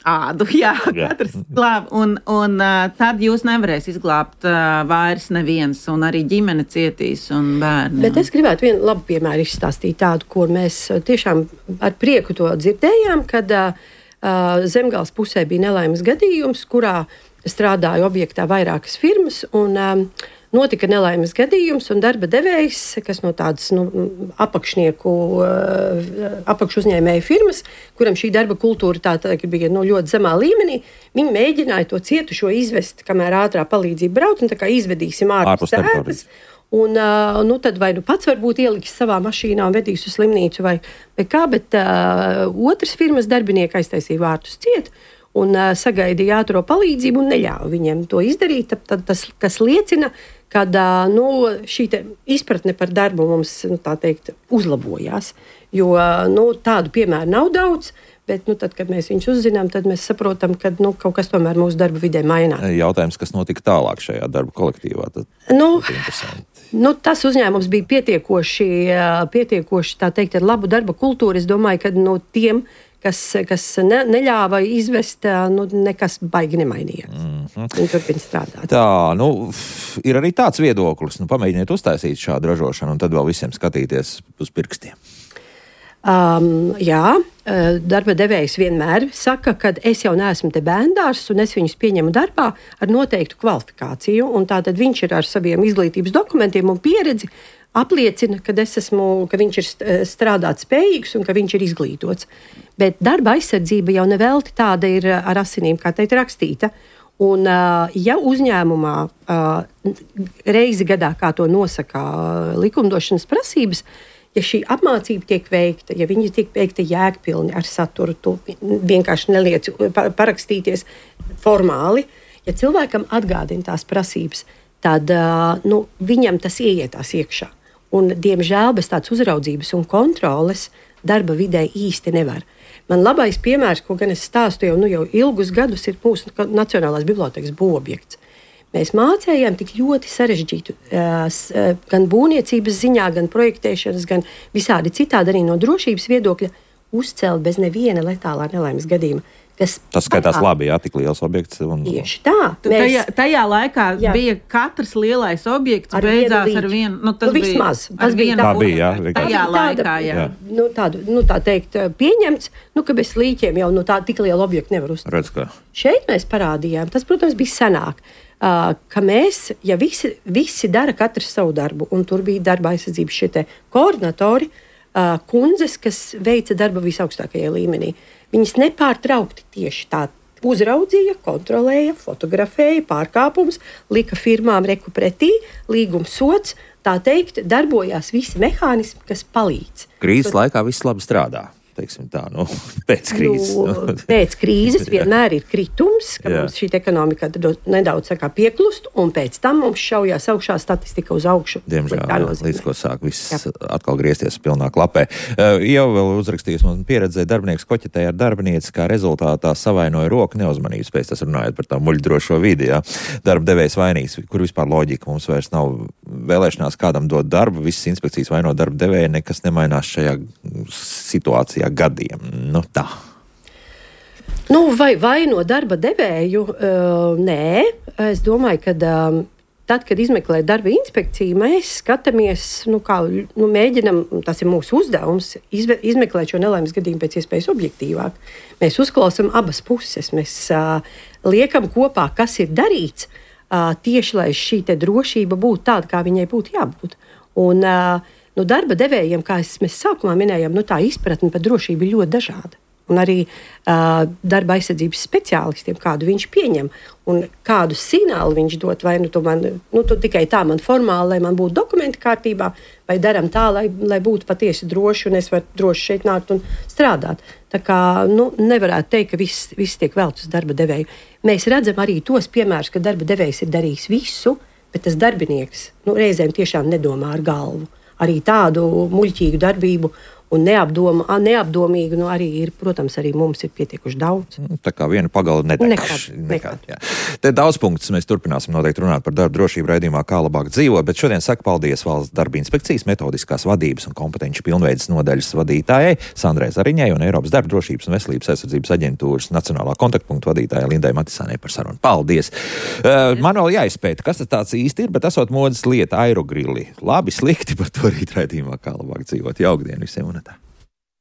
Ādu, jā, jā. Katrs glābi. Un, un tad jūs nevarēs izglābt vairs neviens, un arī ģimene cietīs un bērni. Bet es gribētu vienu labu piemēru izstāstīt tādu, kur mēs tiešām ar prieku to dzirdējām, kad uh, Zemgales pusē bija nelaimes gadījums, kurā strādāja objektā vairākas firmas, un um, notika nelaimes gadījums, un darba devējs, kas no tādas nu, apakšnieku, apakšu uzņēmēju firmas, kuram šī darba kultūra tā, tā, bija nu, ļoti zemā līmenī, viņi mēģināja to cietušo izvest, kamēr ātrā palīdzība brauc, un tā kā izvedīsim ārpus tēpas. Un, uh, nu, tad vai nu pats varbūt ieliks savā mašīnā un vedīs uz slimnīcu, vai, vai kā, bet uh, otras firmas darbinieki aiztaisīja vārtus ciet, un uh, sagaidīja ātro palīdzību un neļāva viņiem to izdarīt. Tad, tad tas, kas liecina, ka uh, nu, šī izpratne par darbu mums, nu, tā teikt, uzlabojās. Jo uh, nu, tādu piemēru nav daudz, bet, nu, tad, kad mēs viņus uzzinām, tad mēs saprotam, ka nu, kaut kas tomēr mūsu darba vidē mainās. Jautājums, kas notika tālāk šajā darba kolektīvā? Tad, nu, nu, tas uzņēmums bija pietiekoši, pietiekoši tā teikt, ar labu darba kultūru. Es domāju, ka no tiem, kas, kas ne, neļāva izvest, nu, nekas baigi nemainījās. Mm-hmm. Viņi turpina strādāt. Tā, nu, ir arī tāds viedoklis. Nu, pamēģiniet uztaisīt šādu ražošanu un tad vēl visiem skatīties uz pirkstiem. Um, jā, darba devējs vienmēr saka, ka es jau neesmu te bērndārs un es viņus pieņemu darbā ar noteiktu kvalifikāciju. Un tātad viņš ir ar saviem izglītības dokumentiem un pieredzi apliecina, ka, esmu, ka viņš ir strādāt spējīgs un ka viņš ir izglītots. Bet darba aizsardzība jau nevelti tāda ir ar asinīm, kā teikt, rakstīta. Un, ja uzņēmumā reizi gadā, kā to nosaka likumdošanas prasības, ja šī apmācība tiek veikta, ja viņi tiek veikta jēgpilni ar saturu, tu vienkārši neliec parakstīties formāli, ja cilvēkam atgādina tās prasības, tad nu, viņam tas ieietās iekšā. Un, diemžēl, bez tādas uzraudzības un kontroles darba vidē īsti nevar. Man labais piemērs, ko gan es stāstu jau, nu, jau ilgus gadus, ir mūsu Nacionālās bibliotēkas būvobjekts. Mēs mācējām tik ļoti sarežģītu gan būvniecības ziņā, gan projektēšanas, gan visādi citādi arī no drošības viedokļa uzcelt bez neviena letālā nelaimes gadījuma. Tas skatās labi, jā, tik liels objekts. Un... Tieši tā. Mēs... Tajā, tajā laikā jā. bija katrs lielais objekts, ar beidzās ar vienu. Nu, tas nu, vismaz. Bija, tas bija tā bija, jā. Tajā laikā, jā. jā. Nu, tādu, nu, tā teikt, pieņemts, nu, ka bez līķiem jau nu, tā tik liela objekta nevar uzstāt. Redz, ka... Šeit mēs parādījām, tas, protams, bija senāk, uh, ka mēs, ja visi, visi dara katrs savu darbu, un tur bija darba aizsardzības šie te koordinatori, uh, kundzes, kas veica darba visaugstākajā līmenī. Viņas nepārtraukti tieši tā uzraudzīja, kontrolēja, fotografēja pārkāpumus, lika firmām reku pretī, līgums sots, tā teikt, darbojās visi mehānismi, kas palīdz. Krīzes Tur... laikā viss labi strādā. Teiksim tā, nu, pēc krīzes. Nu, pēc krīzes vienmēr ir kritums, ka jā. Mums šī ekonomika nedaudz kā pieklust, un pēc tam mums šaujās augšā statistika uz augšu. Diemžēl, līdz ko sāk viss jā. Atkal griezties pilnā klapē. Uh, jau vēl uzrakstījis man pieredzēja darbinieks koķetēja ar darbinieci, kā rezultātā savainoja roku neuzmanības pēc, tas runājot par tā muļdrošo vidi, jā. Darba devējs vainīgs, kur vispār loģika mums vairs nav vēlēšanās kādam dot darbu, visas inspekcijas vaino darba devēja, nekas nemainās šajā situācijā gadiem. Nu tā. Nu, vai, vai no darba devēju? Uh, nē. Es domāju, ka uh, tad, kad izmeklē darba inspekciju, mēs skatāmies, nu, kā, nu, mēģinam, tas ir mūsu uzdevums, izve, izmeklēt šo nelaimes gadījumu pēc iespējas objektīvāk. Mēs uzklausām abas puses, mēs uh, liekam kopā, kas ir darīts, uh, tieši lai šī te drošība būtu tāda, kā viņai būtu jābūt. Un uh, Nu, darba devējiem, kā es, mēs sākumā minējām, nu, tā izpratne par drošību ir ļoti dažāda. Un arī uh, darba aizsardzības speciālistiem, kādu viņš pieņem un kādu signālu viņš dod, vai nu, tu man, nu, tu tikai tā man formāli, lai man būtu dokumenti kārtībā, vai daram tā, lai, lai būtu patiesi droši un es varu droši šeit nākt un strādāt. Tā kā nu, nevarētu teikt, ka viss, viss tiek velts uz darba devēju. Mēs redzam arī tos piemērus, ka darba devējs ir darījis visu, bet tas darbinieks nu, reizēm tiešām nedomā ar galvu. Arī tādu muļķīgu darbību un neapdoma, neapdomīgu, nu arī ir, protams, arī mums ir pietiekuši daudz. Tā kā viena pagala nedegš. Nekad, nekad. nekad Te daudz punktus mēs turpināsim noteikti runāt par darba drošību raidījumā, kā labāk dzīvot, bet šodien saku paldies Valsts darba inspekcijas metodiskās vadības un kompetenci pilnveides nodaļas vadītājai Sandrai Zariņai un Eiropas darba drošības un veselības aizsardzības aģentūras nacionālā kontaktpunkta vadītājai Lindai Matisānei par sarunu. Paldies! Uh, man vēl jāizpēta, kas tas tāds īsti ir, bet esot modas lieta aerogrilli. Labi, slikti, par to rīt raidījumā, kā labāk dzīvot. Jaukdien visiem!